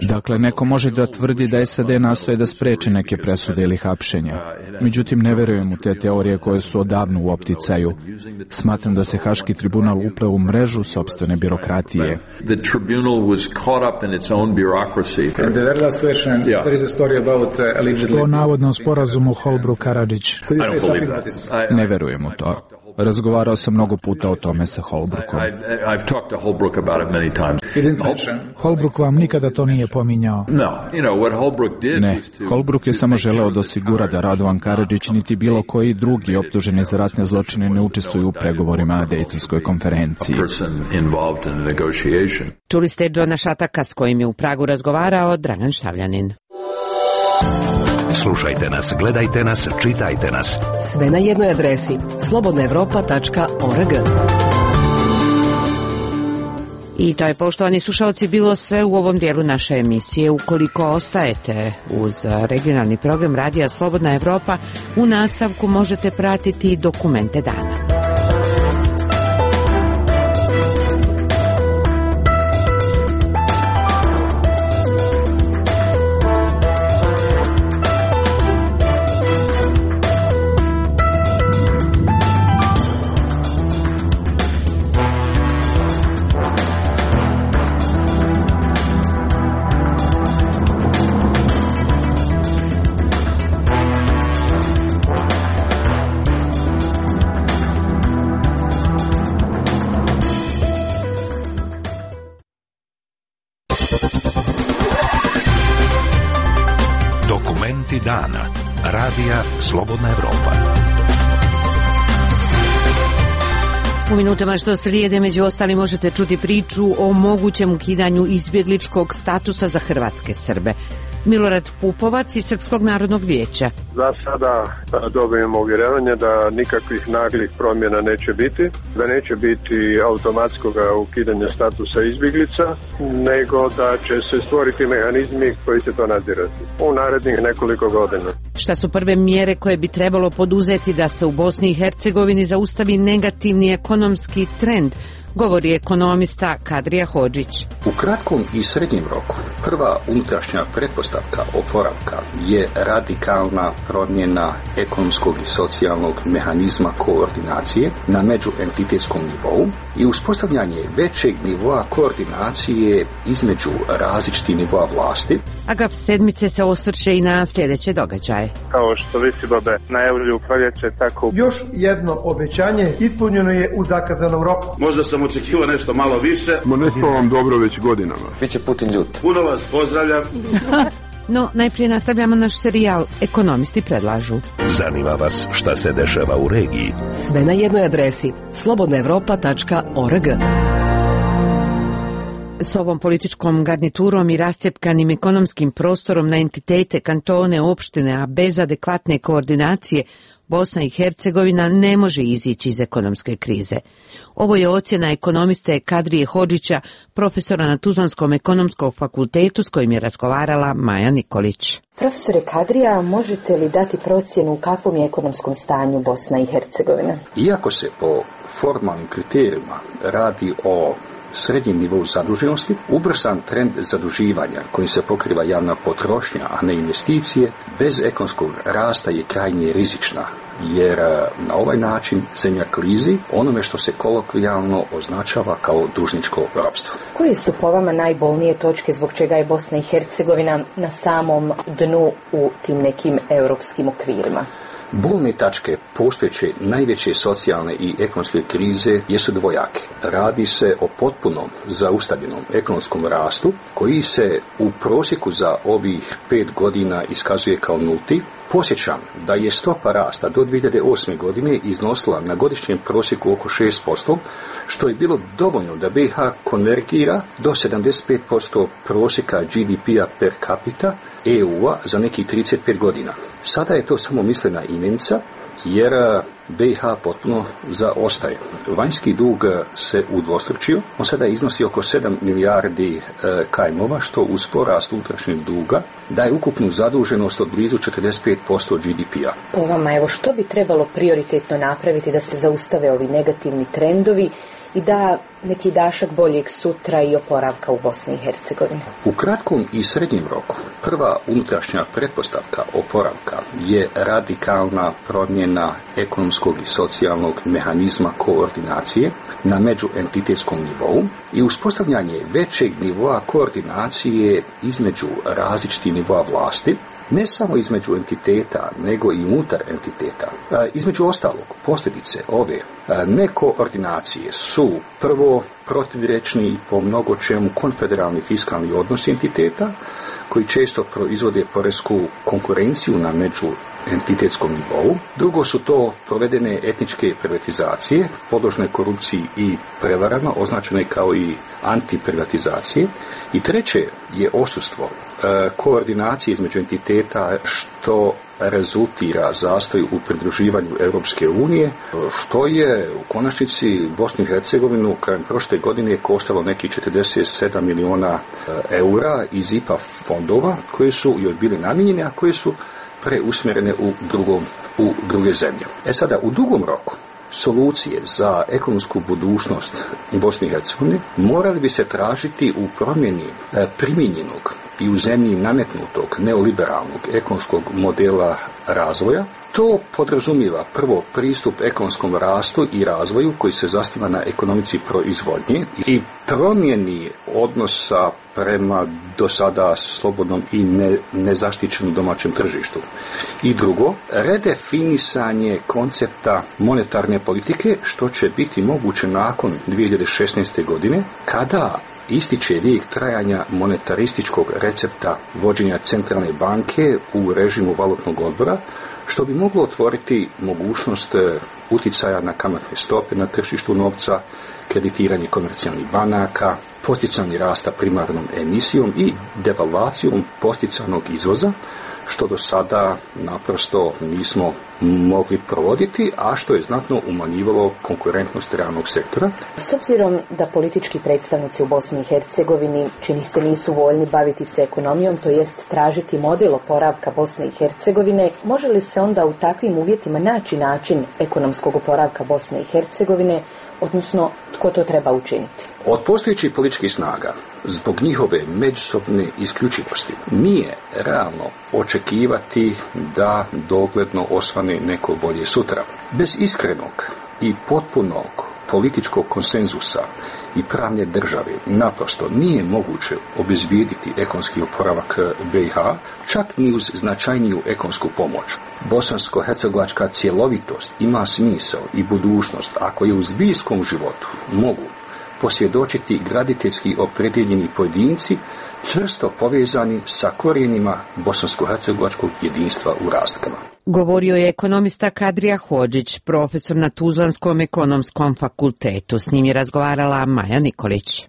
[SPEAKER 4] Dakle, neko može da tvrdi da S A D nastoje da spreče neke presude ili hapšenja. Međutim, ne verujem u te teorije koje su odavno u opticaju. Smatram da se Haški tribunal upleo u mrežu sopstvene birokratije.
[SPEAKER 7] O navodnom sporazumu Holbrooke-Karadžić.
[SPEAKER 4] Ne verujem u to. Razgovarao sam mnogo puta o tome sa Holbrookom.
[SPEAKER 7] Holbrooke vam nikada to nije pominjao.
[SPEAKER 4] Ne, Holbrooke je samo želeo da osigura da Radovan Karadžić niti bilo koji drugi optuženi za ratne zločine ne učestvuju u pregovorima na Dejtonskoj konferenciji.
[SPEAKER 1] Čuli ste Džona Šataka s kojim je u Pragu razgovarao Dragan Štavljanin.
[SPEAKER 26] Slušajte nas, gledajte nas, čitajte nas.
[SPEAKER 27] Sve na jednoj adresi slobodna evropa tačka org.
[SPEAKER 1] I to je, poštovani slušalci, bilo sve u ovom dijelu naše emisije. Ukoliko ostajete uz regionalni program Radija Slobodna Evropa, u nastavku možete pratiti dokumente dana.
[SPEAKER 26] Dokumenti dana. Radija Slobodna Evropa.
[SPEAKER 1] U minutama što slijede, među ostalim, možete čuti priču o mogućem ukidanju izbjegličkog statusa za hrvatske Srbe. Milorad Pupovac iz Srpskog narodnog vijeća.
[SPEAKER 8] Za sada dobijemo uvjerenje da nikakvih naglih promjena neće biti, da neće biti automatskog ukidanja statusa izbjeglica, nego da će se stvoriti mehanizmi koji će to nadzirati u narednih nekoliko godina.
[SPEAKER 1] Šta su prve mjere koje bi trebalo poduzeti da se u Bosni i Hercegovini zaustavi negativni ekonomski trend, govori ekonomista Kadrija Hodžić.
[SPEAKER 9] U kratkom i srednjem roku prva unutrašnja pretpostavka oporavka je radikalna promjena ekonomskog i socijalnog mehanizma koordinacije na međuentitetskom nivou i uspostavljanje većeg nivoa koordinacije između različitih nivoa vlasti.
[SPEAKER 1] Agap sedmice se osvrće i na sljedeće događaje.
[SPEAKER 8] Kao što visibabe najavljuju proljeće, tako...
[SPEAKER 10] Još jedno obećanje ispunjeno je u zakazanom roku.
[SPEAKER 12] Možda sam očekivao nešto malo više.
[SPEAKER 13] Ma ne spavam dobro već godinama.
[SPEAKER 12] Biće Putin ljut. Puno vas pozdravljam.
[SPEAKER 1] No, najprije nastavljamo naš serijal Ekonomisti predlažu.
[SPEAKER 26] Zanima vas šta se dešava u regiji?
[SPEAKER 27] Sve na jednoj adresi slobodna evropa tačka org.
[SPEAKER 1] S ovom političkom garniturom i rascjepkanim ekonomskim prostorom na entitete, kantone, opštine, a bez adekvatne koordinacije, Bosna i Hercegovina ne može izići iz ekonomske krize. Ovo je ocjena ekonomiste Kadrije Hodžića, profesora na Tuzlanskom ekonomskom fakultetu s kojim je razgovarala Maja Nikolić.
[SPEAKER 14] Profesore Kadrija, možete li dati procjenu u kakvom je ekonomskom stanju Bosna i Hercegovina?
[SPEAKER 9] Iako se po formalnim kriterijima radi o srednjem nivou zaduženosti, ubrzan trend zaduživanja kojim se pokriva javna potrošnja, a ne investicije, bez ekonomskog rasta je krajnje rizična, jer na ovaj način zemlja klizi onome što se kolokvijalno označava kao dužničko ropstvo.
[SPEAKER 14] Koje su po vama najbolnije točke zbog čega je Bosna i Hercegovina na samom dnu u tim nekim europskim okvirima?
[SPEAKER 9] Bolne tačke postojeće najveće socijalne i ekonomske krize jesu dvojake. Radi se o potpunom zaustavljenom ekonomskom rastu koji se u prosjeku za ovih pet godina iskazuje kao nulti. Posjećam da je stopa rasta do dvije hiljade osme. godine iznosila na godišnjem prosjeku oko šest posto, što je bilo dovoljno da B i H konvergira do sedamdeset pet posto prosjeka G D P-a per capita E U-a za nekih trideset pet godina. Sada je to samo mislena imenica, jer B i H potpuno zaostaje. Vanjski dug se udvostručio, on sada iznosi oko sedam milijardi e, kajmova, što uz porast unutrašnjeg duga daje ukupnu zaduženost od blizu četrdeset pet posto G D P-a.
[SPEAKER 14] Po vama, evo, što bi trebalo prioritetno napraviti da se zaustave ovi negativni trendovi i da neki dašak boljeg sutra i oporavka u Bosni i Hercegovini?
[SPEAKER 9] U kratkom i srednjem roku prva unutrašnja pretpostavka oporavka je radikalna promjena ekonomskog i socijalnog mehanizma koordinacije na međuentitetskom nivou i uspostavljanje većeg nivoa koordinacije između različitih nivoa vlasti, ne samo između entiteta, nego i unutar entiteta. E, između ostalog, posljedice ove e, nekoordinacije su prvo protivrečni i po mnogo čemu konfederalni fiskalni odnosi entiteta, koji često proizvode poresku konkurenciju na međuentitetskom nivou. Drugo su to provedene etničke privatizacije, podložne korupciji i prevarama, označene kao i antiprivatizacije. I treće je odsustvo e, koordinacije između entiteta, što rezultira zastoj u pridruživanju Europske unije, što je u konačnici Bosnu i Hercegovinu krajem prošle godine koštalo neki četrdeset sedam miliona eura iz I P A fondova koje su joj bili namijenjene, a koje su preusmjerene u, drugom, u druge zemlje. E sada, u dugom roku solucije za ekonomsku budućnost Bosne i Hercegovine morali bi se tražiti u promjeni primijenjenog i u zemlji nametnutog neoliberalnog ekonomskog modela razvoja. To podrazumijeva prvo pristup ekonomskom rastu i razvoju koji se zasniva na ekonomici proizvodnje i promjeni odnosa prema do sada slobodnom i ne, nezaštićenom domaćem tržištu. I drugo, redefinisanje koncepta monetarne politike, što će biti moguće nakon dvije hiljade šesnaeste. godine, kada ističe vijek trajanja monetarističkog recepta vođenja centralne banke u režimu valutnog odbora, što bi moglo otvoriti mogućnost uticaja na kamatne stope na tržištu novca, kreditiranje komercijalnih banaka, posticanje rasta primarnom emisijom i devalvacijom posticanog izvoza, što do sada naprosto nismo mogli provoditi, a što je znatno umanjivalo konkurentnost realnog sektora.
[SPEAKER 14] S obzirom da politički predstavnici u Bosni i Hercegovini čini se nisu voljni baviti se ekonomijom, to jest tražiti model oporavka Bosne i Hercegovine, može li se onda u takvim uvjetima naći način ekonomskog oporavka Bosne i Hercegovine, odnosno tko to treba učiniti?
[SPEAKER 9] Od postojećih političkih snaga, zbog njihove međusobne isključivosti, nije realno očekivati da dogledno osvane neko bolje sutra. Bez iskrenog i potpunog političkog konsenzusa i pravne države naprosto nije moguće obezbijediti ekonomski oporavak B i H, čak ni uz značajniju ekonomsku pomoć. Bosansko-hercegovačka cjelovitost ima smisao i budućnost ako je u zbiljskom životu mogu posvjedočiti graditeljski opredjeljeni pojedinci čvrsto povezani sa korijenima bosansko-hercegovačkog jedinstva u rastkama.
[SPEAKER 1] Govorio je ekonomista Kadrija Hodžić, profesor na Tuzlanskom ekonomskom fakultetu. S njim je razgovarala Maja Nikolić.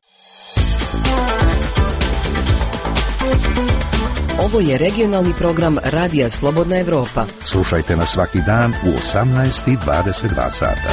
[SPEAKER 27] Ovo je regionalni program Radija Slobodna Evropa.
[SPEAKER 26] Slušajte nas svaki dan u osamnaest i dvadeset dva sata.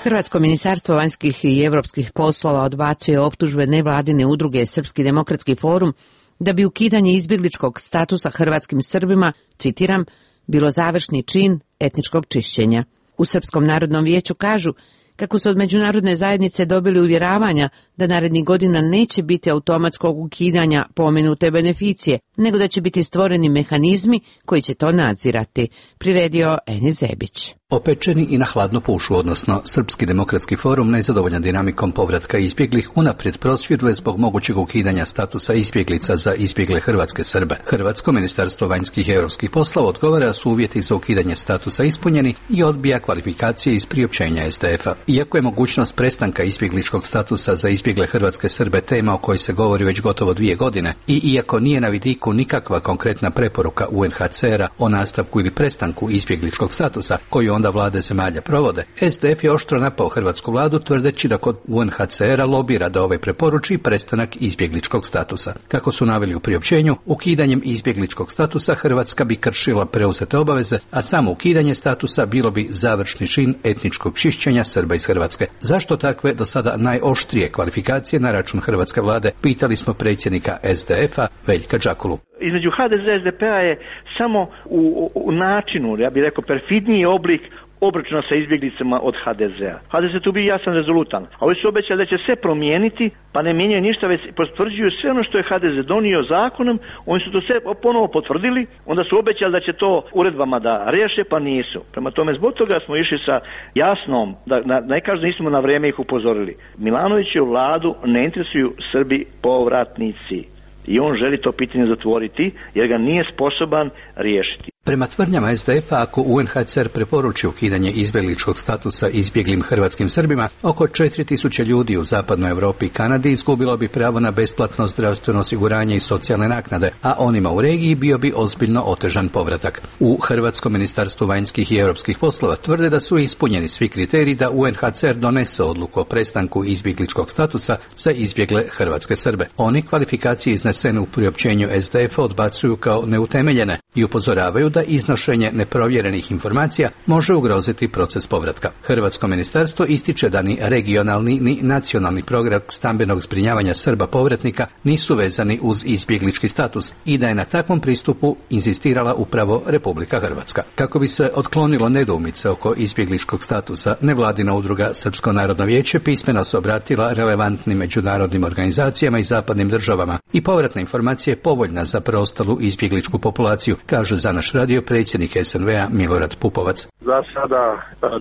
[SPEAKER 1] Hrvatsko ministarstvo vanjskih i europskih poslova odbacuje optužbe nevladine udruge Srpski demokratski forum da bi ukidanje izbjegličkog statusa hrvatskim Srbima, citiram, bilo završni čin etničkog čišćenja. U Srpskom narodnom vijeću kažu kako su od međunarodne zajednice dobili uvjeravanja da narednih godina neće biti automatskog ukidanja pomenute beneficije, nego da će biti stvoreni mehanizmi koji će to nadzirati, priredio Eni Zebić.
[SPEAKER 15] Opečeni i na hladno pušu, odnosno Srpski demokratski forum, nezadovoljan dinamikom povratka izbjeglih, unaprijed prosvjeduje zbog mogućeg ukidanja statusa izbjeglica za izbjegle hrvatske Srbe. Hrvatsko ministarstvo vanjskih i europskih poslova odgovara da su uvjeti za ukidanje statusa ispunjeni i odbija kvalifikacije iz priopćenja S D F-a. Iako je mogućnost prestanka izbjegličkog statusa za izbjegle hrvatske Srbe tema o kojoj se govori već gotovo dvije godine i iako nije na vidiku nikakva konkretna preporuka U N H C R-a o nastavku ili prestanku izbjegličkog statusa koju onda vlade zemalja provode, S D F je oštro napao hrvatsku vladu tvrdeći da kod U N H C R-a lobira da ovaj preporuči prestanak izbjegličkog statusa. Kako su naveli u priopćenju, ukidanjem izbjegličkog statusa Hrvatska bi kršila preuzete obaveze, a samo ukidanje statusa bilo bi završni čin etničkog čišćenja Srba iz Hrvatske. Zašto takve do sada najoštrije kvalifikacije na račun hrvatske vlade, pitali smo predsjednika S D F-a Veljka Đakulu.
[SPEAKER 16] Između H D Z i S D P-a je samo u, u načinu, ja bih rekao, perfidniji oblik obračuna sa izbjeglicama od H D Z-a. H D Z tu bi jasan rezolutan. A ovi su obećali da će sve promijeniti, pa ne mijenjaju ništa, već potvrđuju sve ono što je H D Z donio zakonom, oni su to sve ponovo potvrdili, onda su obećali da će to uredbama da riješe, pa nisu. Prema tome, zbog toga smo išli sa jasnom, da, da ne kažem, nismo na vrijeme ih upozorili. Milanoviću vladu ne interesuju Srbi povratnici. I on želi to pitanje zatvoriti jer ga nije sposoban riješiti.
[SPEAKER 15] Prema tvrdnjama es de efa, ako u en ha ce er preporuči ukidanje izbjegličkog statusa izbjeglim hrvatskim Srbima, oko četiri tisuće ljudi u zapadnoj Europi i Kanadi izgubilo bi pravo na besplatno zdravstveno osiguranje i socijalne naknade, a onima u regiji bio bi ozbiljno otežan povratak. U Hrvatskom ministarstvu vanjskih i europskih poslova tvrde da su ispunjeni svi kriteriji da u en ha ce er donese odluku o prestanku izbjegličkog statusa za izbjegle hrvatske Srbe. Oni kvalifikacije iznesene u priopćenju es de efa odbacuju kao neutemeljene i upozoravaju da iznošenje neprovjerenih informacija može ugroziti proces povratka. Hrvatsko ministarstvo ističe da ni regionalni ni nacionalni program stambenog zbrinjavanja Srba povratnika nisu vezani uz izbjeglički status i da je na takvom pristupu inzistirala upravo Republika Hrvatska. Kako bi se otklonilo nedoumice oko izbjegličkog statusa, nevladina udruga Srpsko narodno vijeće pismeno se obratila relevantnim međunarodnim organizacijama i zapadnim državama i povratna informacija je povoljna za preostalu izbjegličku populaciju, kaže za naš radio predsjednik es en ve a Milorad Pupovac.
[SPEAKER 8] Za sada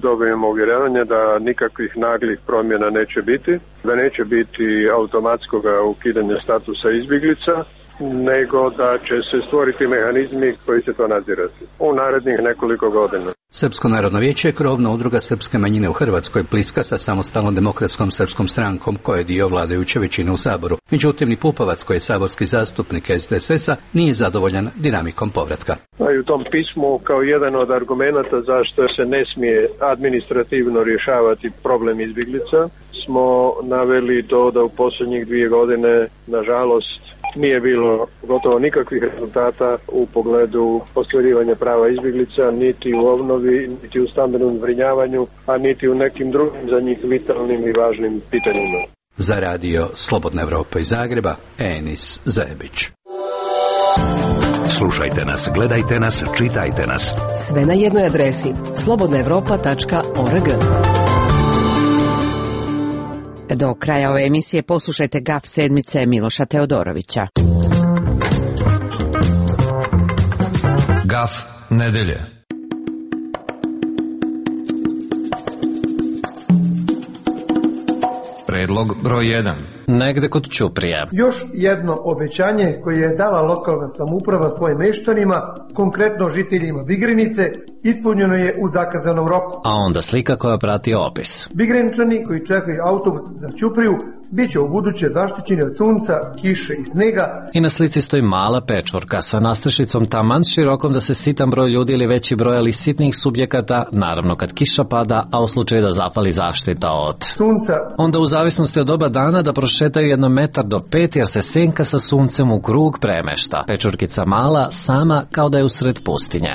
[SPEAKER 8] dobijemo uvjeravanje da nikakvih naglih promjena neće biti, da neće biti automatskog ukidanja statusa izbjeglica, nego da će se stvoriti mehanizmi koji će to nadzirati u narednih nekoliko godina.
[SPEAKER 15] Srpsko narodno vijeće je krovna udruga srpske manjine u Hrvatskoj, bliska sa samostalnom demokratskom srpskom strankom koja je dio vladajuće većine u Saboru. Međutim, ni Pupovac, koji je saborski zastupnik es de es es a, nije zadovoljan dinamikom povratka.
[SPEAKER 8] A i u tom pismu, kao jedan od argumenata zašto se ne smije administrativno rješavati problem izbjeglica, smo naveli to da u posljednjih dvije godine, nažalost, nije bilo gotovo nikakvih rezultata u pogledu ostvarivanja prava izbjeglica, niti u obnovi, niti u stambenom zbrinjavanju, a niti u nekim drugim za njih vitalnim i važnim pitanjima.
[SPEAKER 15] Za radio Slobodna Evropa iz Zagreba, Enis Zajebić.
[SPEAKER 26] Slušajte nas, gledajte nas, čitajte nas.
[SPEAKER 27] Sve na jednoj adresi slobodna evropa tačka org.
[SPEAKER 1] Do kraja ove emisije poslušajte gaf sedmice Miloša Teodorovića.
[SPEAKER 11] Gaf nedelje. Predlog broj jedan.
[SPEAKER 17] Negde kod Ćuprije.
[SPEAKER 10] Još jedno obećanje koje je dala lokalna samouprava svojim meštanima, konkretno žiteljima Bigrenice, ispunjeno je u zakazanom roku.
[SPEAKER 17] A onda slika koja prati opis.
[SPEAKER 10] Bigreničani koji čekaju autobus za Ćupriju bit će u buduće zaštićeni od sunca, kiše i snega.
[SPEAKER 17] I na slici stoji mala pečurka sa nastrešicom taman širokom da se sitan broj ljudi ili veći broj ali sitnih subjekata, naravno kad kiša pada, a u slučaju da zapali zaštita od
[SPEAKER 10] sunca.
[SPEAKER 17] Onda u zavisnosti od doba dana da prošetaju jedno metar do pet jer se senka sa suncem u krug premešta. Pečurkica mala, sama kao da je usred pustinje.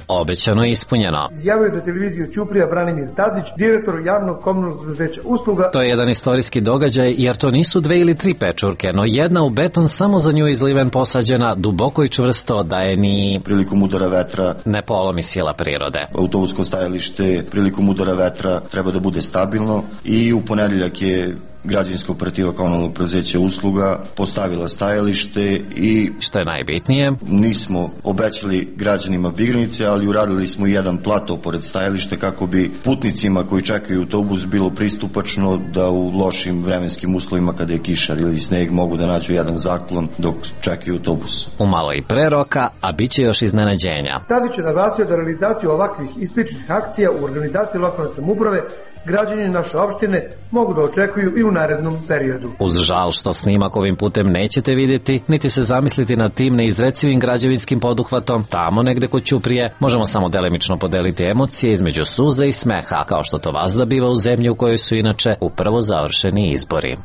[SPEAKER 17] Obećano i ispunjeno.
[SPEAKER 10] Izjavio za televiziju Ćuprija Branimir Tazić, direktor javnog komunalnog preduzeća usluga.
[SPEAKER 17] To je jedan istorijski događaj jer to nisu dve ili tri pečurke, no jedna u beton samo za nju izliven posađena, duboko i čvrsto da je ni
[SPEAKER 18] prilikom udara vetra
[SPEAKER 17] ne polomi sila prirode.
[SPEAKER 18] Autobusko stajalište prilikom udara vetra treba da bude stabilno i u ponedeljak je građevinska operativa komunalnog preduzeća usluga postavila stajalište i
[SPEAKER 17] što je najbitnije,
[SPEAKER 18] nismo obećali građanima Bigrenice, ali uradili smo jedan plato pored stajališta kako bi putnicima koji čekaju autobus bilo pristupačno da u lošim vremenskim uslovima kada je kišar ili sneg mogu da nađu jedan zaklon dok čekaju autobus.
[SPEAKER 17] Umalo i pre roka, a bit će još iznenađenja.
[SPEAKER 10] Tadić je naglasio da realizaciju ovakvih i sličnih akcija u organizaciji lokalne samouprave građani naše opštine mogu da očekuju i u narednom periodu.
[SPEAKER 17] Uz žal što snimak ovim putem nećete vidjeti, niti se zamisliti nad tim neizrecivim građevinskim poduhvatom, tamo negde kod Ćuprije možemo samo delimično podeliti emocije između suze i smeha, kao što to vazda biva u zemlji u kojoj su inače upravo završeni izbori.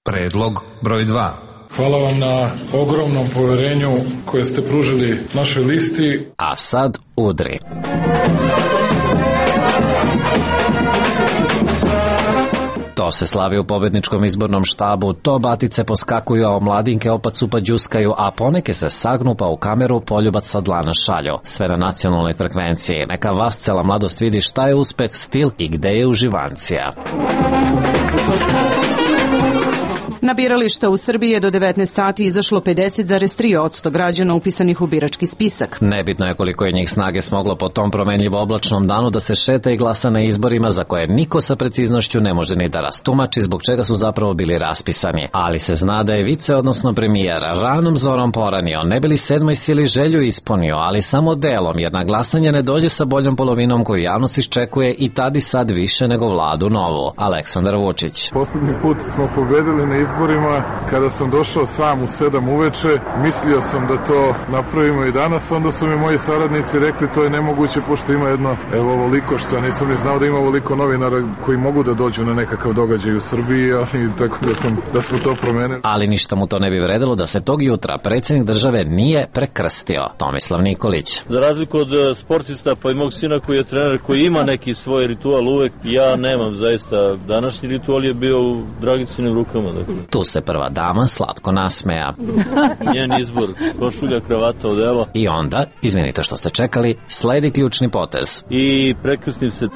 [SPEAKER 11] Predlog broj dva.
[SPEAKER 19] Hvala vam na ogromnom poverenju koje ste pružili našoj listi.
[SPEAKER 17] A sad udri. To se slavi u pobedničkom izbornom štabu, to batice poskakuju, a omladinke opacu pa đuskaju, a poneke se sagnu pa u kameru poljubac sa dlana šalju. Sve na nacionalnoj frekvenciji. Neka vas cela mladost vidi šta je uspeh, stil i gde je uživancija.
[SPEAKER 3] Na birališta u Srbiji je do devetnaest sati izašlo pedeset zarez tri posto građana upisanih u birački spisak.
[SPEAKER 17] Nebitno je koliko je njih snage smoglo po tom promenljivo oblačnom danu da se šeta i glasa na izborima za koje niko sa preciznošću ne može ni da rastumači zbog čega su zapravo bili raspisani. Ali se zna da je vice, odnosno premijer, ranom zorom poranio, ne bili sedmoj sili želju ispunio, ali samo delom, jer na glasanje ne dođe sa boljom polovinom koju javnost iščekuje i tad i sad više nego vladu novu. Aleksandar Vučić.
[SPEAKER 19] Poslednji put smo pobedili na izborima kada sam došao sam u sedam uveče. Mislio sam da to napravimo i danas, onda su mi moji saradnici rekli to je nemoguće pošto ima jedno, evo ovoliko, što ja nisam ni znao da ima ovoliko novinara koji mogu da dođu na nekakav događaj u Srbiji, ali tako da, sam, da smo to promenili.
[SPEAKER 17] Ali ništa mu to ne bi vredilo da se tog jutra predsjednik države nije prekrstio. Tomislav Nikolić.
[SPEAKER 6] Za razliku od sportista pa i mog sina koji je trener, koji ima neki svoj ritual uvek, ja nemam zaista. Današnji ritual je bio u Dragicinim rukama. Dakle.
[SPEAKER 17] Tu se prva dama slatko nasmeja.
[SPEAKER 6] Njen izbor, košulja, kravata, odela.
[SPEAKER 17] I onda, izvinite što ste čekali, sledi ključni potez.
[SPEAKER 6] I prekrstim se.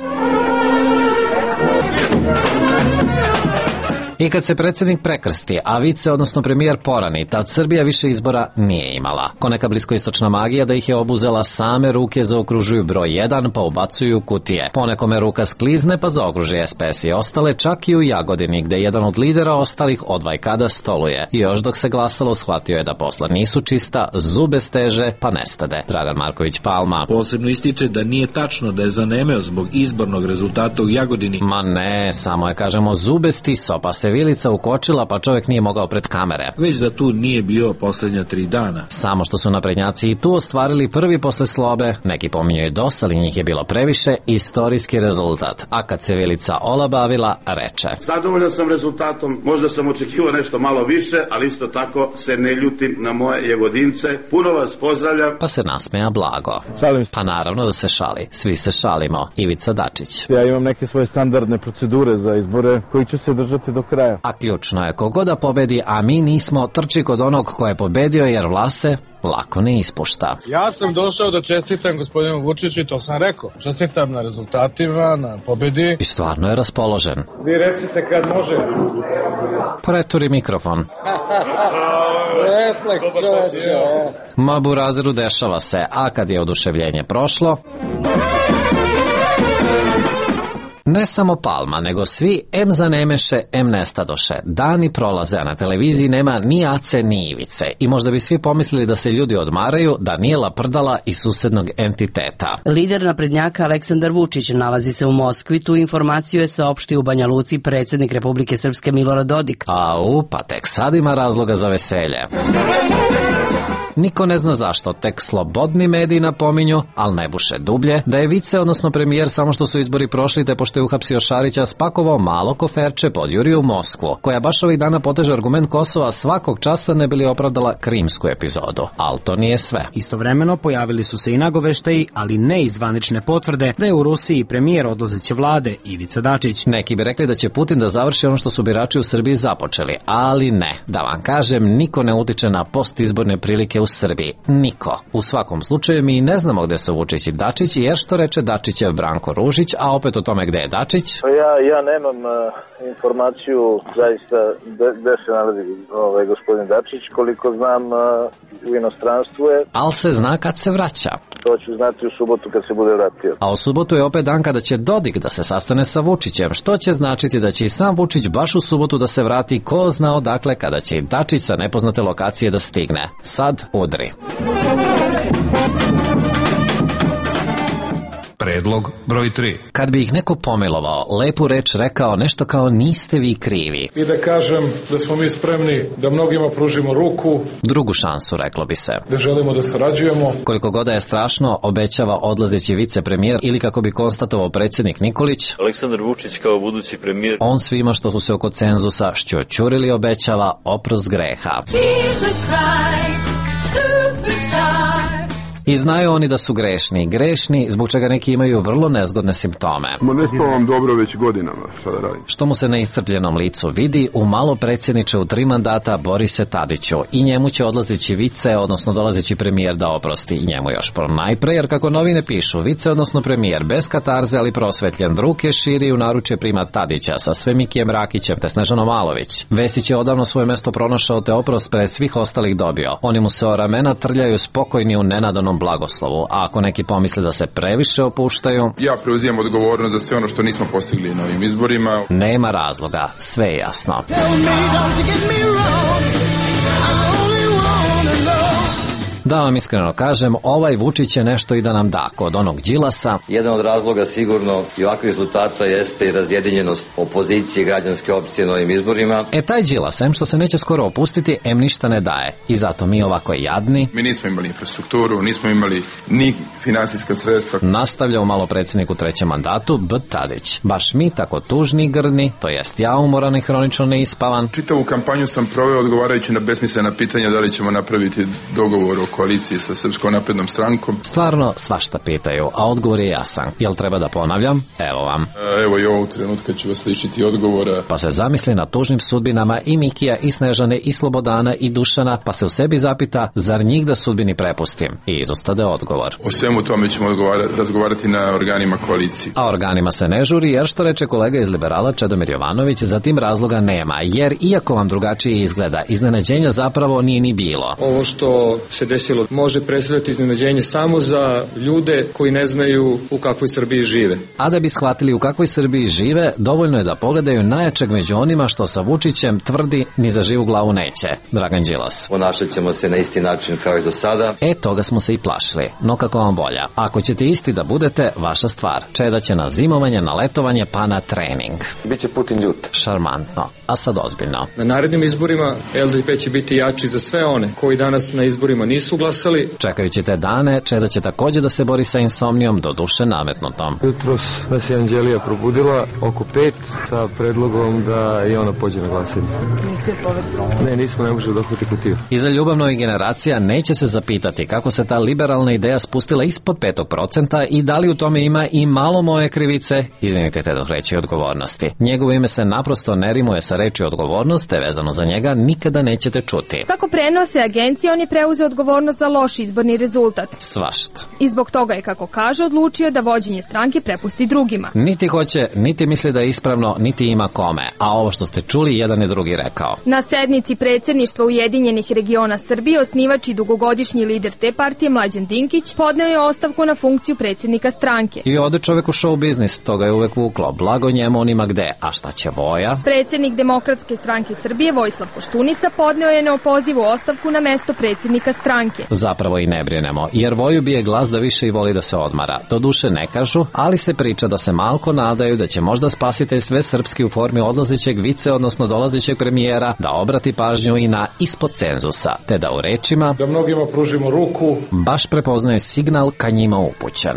[SPEAKER 17] I kad se predsjednik prekrsti, a vice, odnosno premijer porani, tad Srbija više izbora nije imala. Ko neka bliskoistočna magija da ih je obuzela, same ruke zaokružuju broj jedan pa ubacuju kutije. Ponekome ruka sklizne pa zaokruži S P S i ostale, čak i u Jagodini, gde jedan od lidera ostalih od vajkada stoluje. I još dok se glasalo, shvatio je da posla nisu čista, zube steže pa nestade. Dragan Marković Palma.
[SPEAKER 20] Posebno ističe da nije tačno da je zanemeo zbog izbornog rezultata u Jagodini.
[SPEAKER 17] Ma ne, samo je, kažemo, zube stiso pa se vilica ukočila pa čovjek nije mogao pred kamere.
[SPEAKER 20] Već da tu nije bio posljednja tri dana.
[SPEAKER 17] Samo što su naprednjaci i tu ostvarili prvi posle slobe, neki pominju i dos, ali njih je bilo previše, istorijski rezultat. A kad se vilica olabavila, reče:
[SPEAKER 12] Zadovoljan sam rezultatom, možda sam očekivao nešto malo više, ali isto tako se ne ljutim na moje Jagodince. Puno vas pozdravljam.
[SPEAKER 17] Pa se nasmeja blago.
[SPEAKER 21] Šalim se.
[SPEAKER 17] Pa naravno da se šali. Svi se šalimo. Ivica Dačić.
[SPEAKER 21] Ja imam neke svoje standardne procedure za izbore koji ću se držati do kraja.
[SPEAKER 17] A ključno je kogo da pobedi, a mi nismo, trči kod onog ko je pobedio, jer vlase lako ne ispušta.
[SPEAKER 21] Ja sam došao da čestitam gospodinu Vučiću i to sam rekao. Čestitam na rezultatima, na pobedi.
[SPEAKER 17] I stvarno je raspoložen.
[SPEAKER 21] Vi recite kad može.
[SPEAKER 17] Preturi mikrofon.
[SPEAKER 21] Refleks, čoveče.
[SPEAKER 17] Ma burazeru, dešava se, a kad je oduševljenje prošlo... Ne samo Palma, nego svi em zanemeše, em nestadoše. Dani prolaze, a na televiziji nema ni Ace ni Ivice. I možda bi svi pomislili da se ljudi odmaraju, da nije laprdala iz susednog entiteta.
[SPEAKER 22] Lider naprednjaka Aleksandar Vučić nalazi se u Moskvi. Tu informaciju je saopštio u Banja Luci predsjednik Republike Srpske Milorad Dodik.
[SPEAKER 17] A u, pa tek sad ima razloga za veselje. Niko ne zna zašto, tek slobodni mediji napominju, ali ne buše dublje, da je vice, odnosno premijer, samo što su izbori prošli te pošto je uhapsio Šarića, spakovao malo koferče pod Juriju u Moskvu, koja baš ovih dana poteže argument Kosova svakog časa ne bili opravdala krimsku epizodu. Ali to nije sve.
[SPEAKER 23] Istovremeno pojavili su se i nagoveštaji, ali ne i zvanične potvrde, da je u Rusiji premijer odlazeće vlade Ivica Dačić.
[SPEAKER 17] Neki bi rekli da će Putin da završi ono što su birači u Srbiji započeli, ali ne. Da vam kažem, niko ne utiče na postizborne prilike u Srbiji. Niko. U svakom slučaju mi ne znamo gde su Vučić i Dačić, jer što reče Dačićev Branko Ružić, a opet o tome gde je Dačić?
[SPEAKER 24] Ja, ja nemam uh, informaciju zaista gde se nalazi ovaj, gospodin Dačić, koliko znam uh, u inostranstvu je.
[SPEAKER 17] Al se zna kad se vraća.
[SPEAKER 24] To ću znati u subotu kad se bude vratio.
[SPEAKER 17] A u subotu je opet dan kada će Dodik da se sastane sa Vučićem, što će značiti da će i sam Vučić baš u subotu da se vrati, ko zna odakle, kada će i Dačić sa nepoznate lokacije da stigne. Sad udri.
[SPEAKER 11] Predlog broj tri.
[SPEAKER 17] Kad bi ih neko pomilovao, lepu reč rekao nešto kao niste vi krivi.
[SPEAKER 21] I da kažem da smo mi spremni da mnogima pružimo ruku.
[SPEAKER 17] Drugu šansu, reklo bi se.
[SPEAKER 21] Da želimo da sarađujemo.
[SPEAKER 17] Koliko god je strašno, obećava odlazeći vicepremijer ili kako bi konstatovao predsjednik Nikolić,
[SPEAKER 6] Aleksandar Vučić kao budući premijer.
[SPEAKER 17] On svima što su se oko cenzusa šćoćurili obećava oprost greha.
[SPEAKER 28] Jesus Christ, superstar.
[SPEAKER 17] I znaju oni da su grešni, grešni zbog čega neki imaju vrlo nezgodne simptome.
[SPEAKER 2] Ma ne spavam dobro već godinama, šta da radim?
[SPEAKER 17] Što mu se na iscrpljenom licu vidi, u malo predsjedniče u tri mandata Borise Tadiću i njemu će odlazeći vice, odnosno dolazeći premijer da oprosti i njemu još pro najpre, jer kako novine pišu, vice, odnosno premijer bez katarze, ali prosvetljen, ruke širi u naručje prima Tadića sa Svemikijem Rakićem te Snežanom Malović. Vesić je odavno svoje mesto pronašao te oprost pre svih ostalih dobio. Oni mu se o ramena trljaju spokojni u nenadanom blagoslovu, a ako neki pomisle da se previše opuštaju...
[SPEAKER 2] Ja preuzimam odgovornost za sve ono što nismo postigli na ovim izborima.
[SPEAKER 17] Nema razloga, sve je jasno. Da vam iskreno kažem, ovaj Vučić je nešto i da nam da kod onog Đilasa.
[SPEAKER 4] Jedan od razloga sigurno i ovakvih rezultata jeste i razjedinjenost opozicije i građanske opcije na ovim izborima.
[SPEAKER 17] E taj Đilas, em što se neće skoro opustiti, em ništa ne daje. I zato mi ovako jadni.
[SPEAKER 2] Mi nismo imali infrastrukturu, nismo imali ni finansijska sredstva.
[SPEAKER 17] Nastavlja u malo predsjednik u trećem mandatu B. Tadić. Baš mi tako tužni i grdni, to jest ja umoran i hronično neispavan.
[SPEAKER 2] Čitavu kampanju sam proveo odgovarajući na besmislena pitanja da li ćemo napraviti dogovor o koaliciji sa Srpskom naprednom strankom.
[SPEAKER 17] Stvarno svašta pitaju, a odgovor je jasan. Jel treba da ponavljam? Evo vam.
[SPEAKER 2] A, evo i ovog trenutka ću vas ličiti odgovora.
[SPEAKER 17] Pa se zamisli na tužnim sudbinama i Mikija, i Snežane, i Slobodana, i Dušana, pa se u sebi zapita, zar njih da sudbini prepustim? I izostade odgovor.
[SPEAKER 2] O svemu tome ćemo razgovarati na organima koalicije.
[SPEAKER 17] A organima se ne žuri, jer što reče kolega iz Liberala Čedomir Jovanović, za tim razloga nema, jer iako vam drugačije izgleda, iznenađenja zapravo nije ni bilo.
[SPEAKER 5] Ovo što se desilo može predstavljati iznenađenje samo za ljude koji ne znaju u kakvoj Srbiji žive.
[SPEAKER 17] A da bi shvatili u kakvoj Srbiji žive, dovoljno je da pogledaju najjačeg među onima što sa Vučićem tvrdi ni za živu glavu neće, Dragan Đilas.
[SPEAKER 4] Ponašat ćemo se na isti način kao i do sada.
[SPEAKER 17] E, toga smo se i plašili, no kako vam volja. Ako ćete isti da budete, vaša stvar. Čeda će na zimovanje, na letovanje, pa na trening.
[SPEAKER 4] Biće Putin ljut.
[SPEAKER 17] Šarmantno, a sad ozbiljno.
[SPEAKER 5] Na narednim izborima L D P će biti jači za sve one koji danas na izborima nisu glasali.
[SPEAKER 17] Čekajući te dane, Čeda će također da se bori sa insomnijom, do duše nametnutom.
[SPEAKER 7] Jutros nas je Anđelija probudila oko pet sa predlogom da i ona pođe na glasanje. Ne, nismo, ne možemo dohvati kutiju.
[SPEAKER 17] I za ljubavnoj generacija neće se zapitati kako se ta liberalna ideja spustila ispod petog procenta i da li u tome ima i malo moje krivice, izvinite te dok reći odgovornosti. Njegovo ime se naprosto ne rimuje sa reči odgovornost, te vezano za njega nikada nećete čuti.
[SPEAKER 13] Kako prenose agencije, on je preuzeo odgovornost za loš izborni rezultat.
[SPEAKER 17] Svašta.
[SPEAKER 13] I zbog toga je, kako kaže, odlučio da vođenje stranke prepusti drugima.
[SPEAKER 17] Niti hoće, niti misli da je ispravno, niti ima kome. A ovo što ste čuli, jedan i drugi rekao.
[SPEAKER 13] Na sednici predsjedništva Ujedinjenih regiona Srbije osnivač i dugogodišnji lider te partije Mlađan Dinkić podneo je ostavku na funkciju predsjednika stranke.
[SPEAKER 17] I ode čovek u show biznis, toga je uvek vuklo. Blago njemu, on ima gde. A šta će Voja?
[SPEAKER 13] Predsjednik Demokratske stranke Srbije Vojislav Koštunica podneo je neopozivu ostavku na mesto predsjednika stranke.
[SPEAKER 17] Zapravo i ne brinemo, jer Voju bije glas da više i voli da se odmara. Do duše ne kažu, ali se priča da se malko nadaju da će možda spasitelj sve srpski u formi odlazećeg vice, odnosno dolazećeg premijera, da obrati pažnju i na ispod cenzusa, te da u rečima
[SPEAKER 7] da mnogima pružimo ruku
[SPEAKER 17] baš prepoznaju signal ka njima upućen.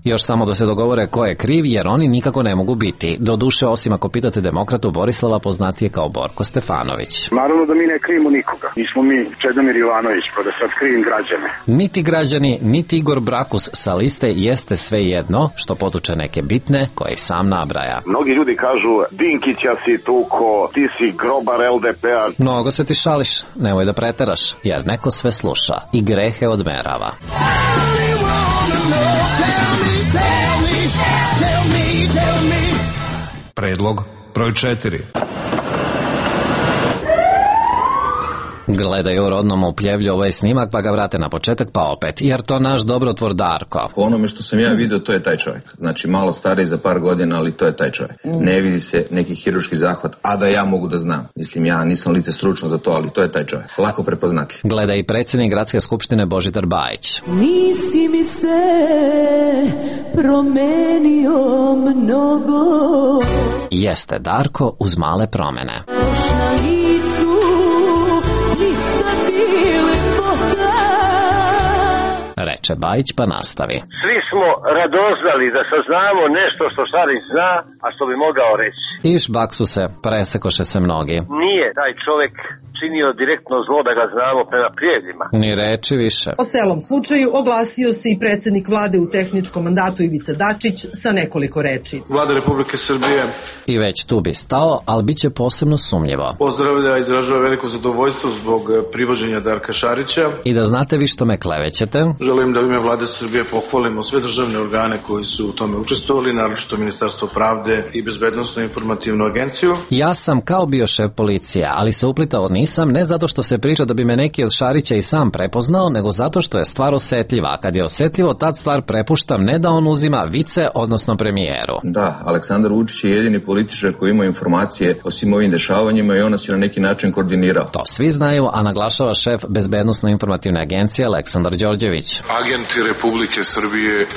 [SPEAKER 17] Još samo da se dogovore ko je kriv, jer oni nikako ne mogu biti. Do duše, osim ako pitate demokratu Borislava, poznatije kao Borko Stefanović.
[SPEAKER 14] Naravno da mi ne krivimo nikoga. Nismo mi Čedomir Jovanović, pa da sad krivim građane.
[SPEAKER 17] Niti građani, niti Igor Brakus sa liste jeste sve jedno, što potuče neke bitne koje i sam nabraja.
[SPEAKER 14] Mnogi ljudi kažu, Dinkića si tuko, ti si grobar L D P-a.
[SPEAKER 17] Mnogo se ti šališ, nemoj da preteraš, jer neko sve sluša i grehe odmerava.
[SPEAKER 11] Predlog broj četiri.
[SPEAKER 17] Gledaju rodnom upljevlju ovaj snimak, pa ga vrate na početak, pa opet, jer to naš dobrotvor Darko.
[SPEAKER 25] Po onome što sam ja vidio, to je taj čovjek. Znači, malo stariji za par godina, ali to je taj čovjek. Ne vidi se neki hirurški zahvat, a da ja mogu da znam. Mislim, ja nisam lice stručno za to, ali to je taj čovjek. Lako prepoznati.
[SPEAKER 17] Gleda i predsjednik Gradske skupštine Božidar Bajić.
[SPEAKER 28] Nisi mi se promenio mnogo.
[SPEAKER 17] Jeste Darko uz male promene. Reče Bajić, pa nastavi.
[SPEAKER 29] Svi smo radoznali da saznamo nešto što Šarić zna, a što bi mogao reći.
[SPEAKER 17] Iš baksu se, presekoše se mnogi.
[SPEAKER 29] Nije taj čovjek činio direktno zlo da ga znamo prema prijedima.
[SPEAKER 17] Ni reči više.
[SPEAKER 1] O celom slučaju oglasio se i predsjednik vlade u tehničkom mandatu Ivica Dačić sa nekoliko reči.
[SPEAKER 8] Vlada Republike Srbije
[SPEAKER 17] i već tu bi stao, ali bit će posebno sumnjivo.
[SPEAKER 8] Pozdravlja i izražava veliko zadovoljstvo zbog privođenja Darka Šarića.
[SPEAKER 17] I da znate vi što me klevećete?
[SPEAKER 8] Želim da u ime Vlade Srbije pohvalimo sve državne organe koji su u tome učestvovali, naročito Ministarstvo pravde i Bezbednosnu informativnu agenciju.
[SPEAKER 17] Ja sam kao bio šef policije, ali se uplitao nisam, ne zato što se priča da bi me neki od Šarića i sam prepoznao, nego zato što je stvar osetljiva. A kad je osetljivo, tad stvar prepuštam, ne da on uzima vice, odnosno premijeru.
[SPEAKER 25] Da, Aleksandar Vučić je jedini političar koji ima informacije o svim ovim dešavanjima i on nas je na neki način koordinirao.
[SPEAKER 17] To svi znaju, a naglašava šef Bezbednosno-informativne agencije Aleksandar Đorđević.
[SPEAKER 9] Agenti Republike Srbije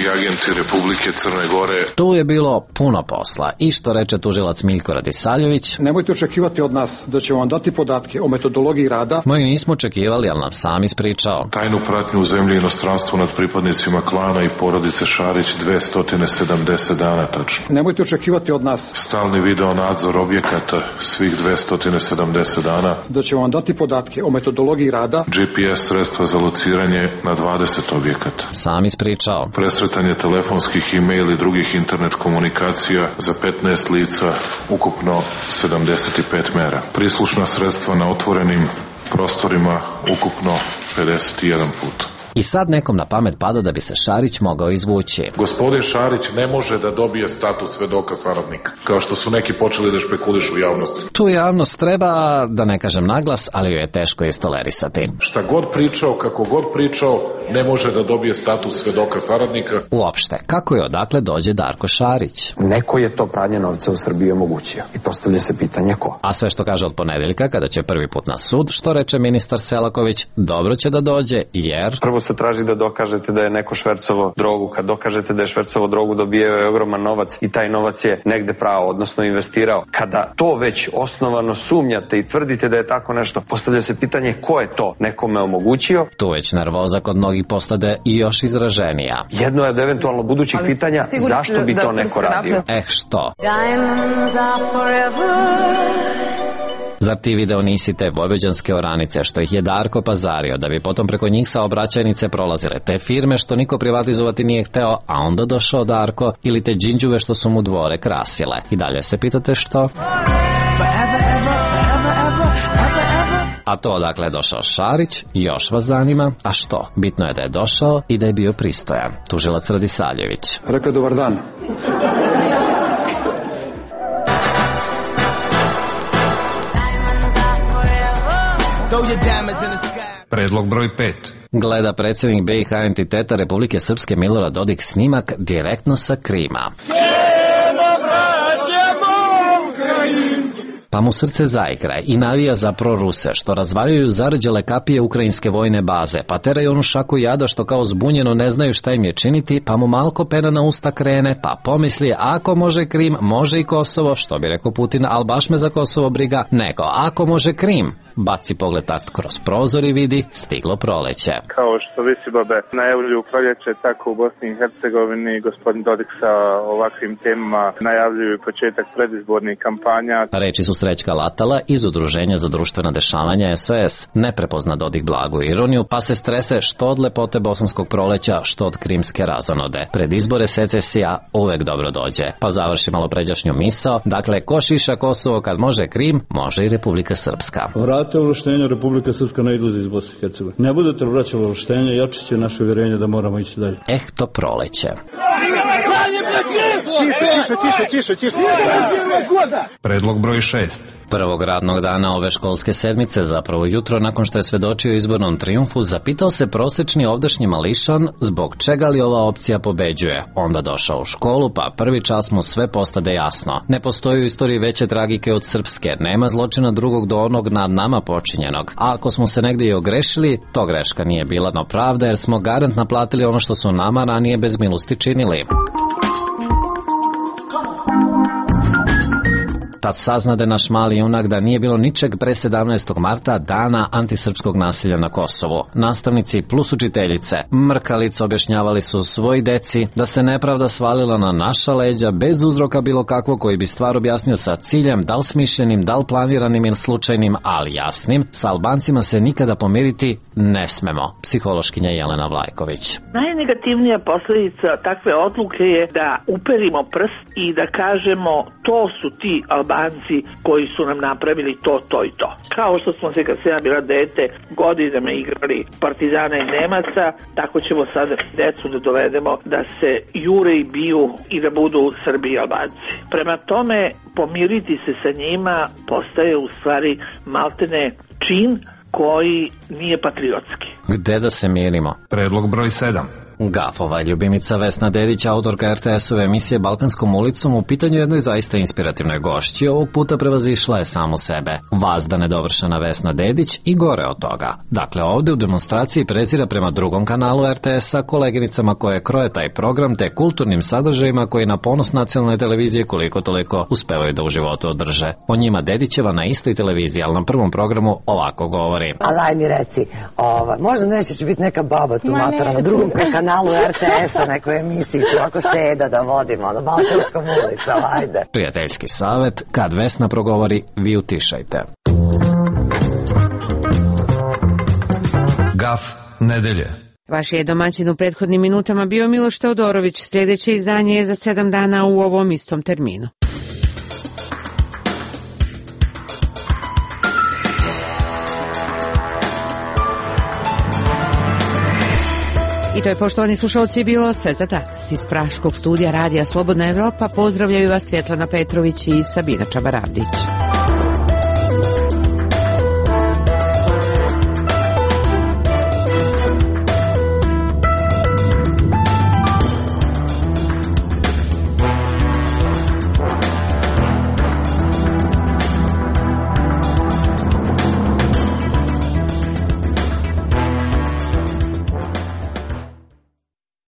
[SPEAKER 9] i agenti Republike Crne Gore.
[SPEAKER 17] Tu je bilo puno posla. I što reče tužilac Miljko Radisaljević?
[SPEAKER 10] Nemojte očekivati od nas da ćemo vam dati podatke o metodologiji rada.
[SPEAKER 17] Moji nismo očekivali, ali nam sam ispričao.
[SPEAKER 9] Tajnu pratnju u zemlji i inostranstvu nad pripadnicima klana i porodice Šarić dvesta sedamdeset dana tačno.
[SPEAKER 10] Nemojte očekivati od nas
[SPEAKER 9] stalni video nadzor objekata svih dvesta sedamdeset dana.
[SPEAKER 10] Da ćemo vam dati podatke o metodologiji rada.
[SPEAKER 9] G P S sredstva za lociranje na dvadeset objekata.
[SPEAKER 17] Sam ispričao.
[SPEAKER 9] Presretanje telefonskih, e-mail i drugih internet komunikacija za petnaest lica, ukupno sedamdeset pet mera. Prislušna sredstva na otvorenim prostorima, ukupno pedeset jedan put.
[SPEAKER 17] I sad nekom na pamet pada da bi se Šarić mogao izvući.
[SPEAKER 9] Gospodin Šarić ne može da dobije status svedoka saradnika, kao što su neki počeli da špekulišu u javnosti.
[SPEAKER 17] Tu javnost treba, da ne kažem naglas, ali joj je teško istolerisati.
[SPEAKER 9] Šta god pričao, kako god pričao, ne može da dobije status svedoka saradnika.
[SPEAKER 17] Uopšte, kako je odakle dođe Darko Šarić?
[SPEAKER 15] Neko je to pranje novca u Srbiji omogućio i postavlja se pitanje ko.
[SPEAKER 17] A sve što kaže od ponedeljka, kada će prvi put na sud, što reče ministar Selaković, dobro će da dođe, jer...
[SPEAKER 15] Prvo se traži da dokažete da je neko švercovo drogu. Kad dokažete da je švercovo drogu, dobijao je ogroman novac i taj novac je negde prao, odnosno investirao. Kada to već osnovano sumnjate i tvrdite da je tako nešto, postavlja se pitanje ko je to nekome omogućio.
[SPEAKER 17] Tu već nervoza kod mnogih postade i još izraženija.
[SPEAKER 15] Jedno je od eventualno budućih ali pitanja zašto bi to neko radio.
[SPEAKER 17] Eh što? Zar ti video nisi te vojvođanske oranice što ih je Darko pazario, da bi potom preko njih saobraćajnice prolazile te firme što niko privatizovati nije hteo, a onda došao Darko, ili te džinđuve što su mu dvore krasile? I dalje se pitate što? A to odakle je došao Šarić, još vas zanima, a što? Bitno je da je došao i da je bio pristojan. Tužilac Radisaljević.
[SPEAKER 10] Rekao dobar dan.
[SPEAKER 11] Predlog broj pet.
[SPEAKER 17] Gleda predsjednik B i H entiteta Republike Srpske Milorad Dodik snimak direktno sa Krima. Pa mu srce zaigra i navija za proruse, što razvaljuju zarđale kapije ukrajinske vojne baze, pa teraju onu šaku jada što kao zbunjeno ne znaju šta im je činiti, pa mu malko pena na usta krene, pa pomisli ako može Krim, može i Kosovo, što bi rekao Putin, al baš me za Kosovo briga, nego ako može Krim. Baci pogled tak kroz prozor i vidi stiglo proleće.
[SPEAKER 24] Kao što visibabe najavljuju proljeće, tako u Bosni i Hercegovini gospodin Dodik sa ovakvim temama najavljuju početak predizbornih kampanja.
[SPEAKER 17] Reči su Srećka Latala iz Udruženja za društvena dešavanja S O S. Ne prepozna Dodik blagu ironiju, pa se strese što od lepote bosanskog proleća, što od krimske razonode. Pred izbore secesija uvek dobro dođe. Pa završi malo pređašnju misao. Dakle, ko šiša Kosovo kad može Krim, može i Republika Srpska.
[SPEAKER 16] Vrate ovlaštenja, Republika Srpska ne izlazi iz Bosne i Hercegovine. Ne budete vraćali ovlaštenje, jače će naše uvjerenje da moramo ići dalje.
[SPEAKER 17] Eh, to proleće.
[SPEAKER 16] Tiše, tiše, tiše, tiše.
[SPEAKER 11] Predlog broj šest.
[SPEAKER 17] Prvog radnog dana ove školske sedmice, zapravo jutro nakon što je svedočio izbornom trijumfu, zapitao se prosečni ovdašnji mališan zbog čega li ova opcija pobeđuje. Onda došao u školu, pa prvi čas mu sve postade jasno. Ne postoji u istoriji veće tragike od srpske, nema zločina drugog do onog nad nama počinjenog. A ako smo se negdje i ogrešili, to greška nije bila, no pravda, jer smo garant naplatili ono što su nama ranije bez milosti činili. Tad saznade naš mali junak da nije bilo ničeg pre sedamnaestog marta, dana antisrpskog nasilja na Kosovu. Nastavnici plus učiteljice mrkalice objašnjavali su svoj deci da se nepravda svalila na naša leđa bez uzroka bilo kakvog koji bi stvar objasnio sa ciljem, da li smišljenim, da li planiranim ili slučajnim, ali jasnim. Sa Albancima se nikada pomiriti ne smemo. Psihološkinja Jelena Vlajković.
[SPEAKER 3] Najnegativnija posledica takve odluke je da uperimo prst i da kažemo to su ti Albanci koji su nam napravili to, to i to. Kao što smo se kad se ja bila dete godinama igrali Partizana i Nemaca, tako ćemo sada decu da dovedemo da se jure i biju i da budu Srbi i Albanci. Prema tome, pomiriti se sa njima postaje u stvari maltene čin koji nije patriotski.
[SPEAKER 17] Gde da se mirimo?
[SPEAKER 11] Predlog broj sedam.
[SPEAKER 17] Gafova ljubimica Vesna Dedić, autorka er te es-ove emisije Balkanskom ulicom, u pitanju jednoj zaista inspirativnoj gošći, ovog puta prevazišla je samu sebe. Vazda nedovršena Vesna Dedić i gore od toga. Dakle, ovde u demonstraciji prezira prema drugom kanalu er te es-a, koleginicama koje kroje taj program, te kulturnim sadržajima koji na ponos nacionalne televizije koliko toliko uspevaju da u životu održe. O njima Dedićeva na istoj televiziji, ali na prvom programu ovako govori.
[SPEAKER 12] Ali aj mi reci, ova, možda neće ću biti neka baba tu matora na drugom kanalu kanalu er te es-a, neku emisiju, ako seda da vodimo, na Balkanskom ulicom, ajde.
[SPEAKER 17] Prijateljski savet, kad Vesna progovori, vi utišajte.
[SPEAKER 11] Gaf nedelje.
[SPEAKER 18] Vaš je domaćin u prethodnim minutama bio Miloš Teodorović. Sljedeće izdanje je za sedam dana u ovom istom terminu. I to je, poštovani slušalci, bilo sve za danas. Iz Praškog studija Radija Slobodna Evropa pozdravljaju vas Svjetlana Petrović i Sabina Čabaravdić.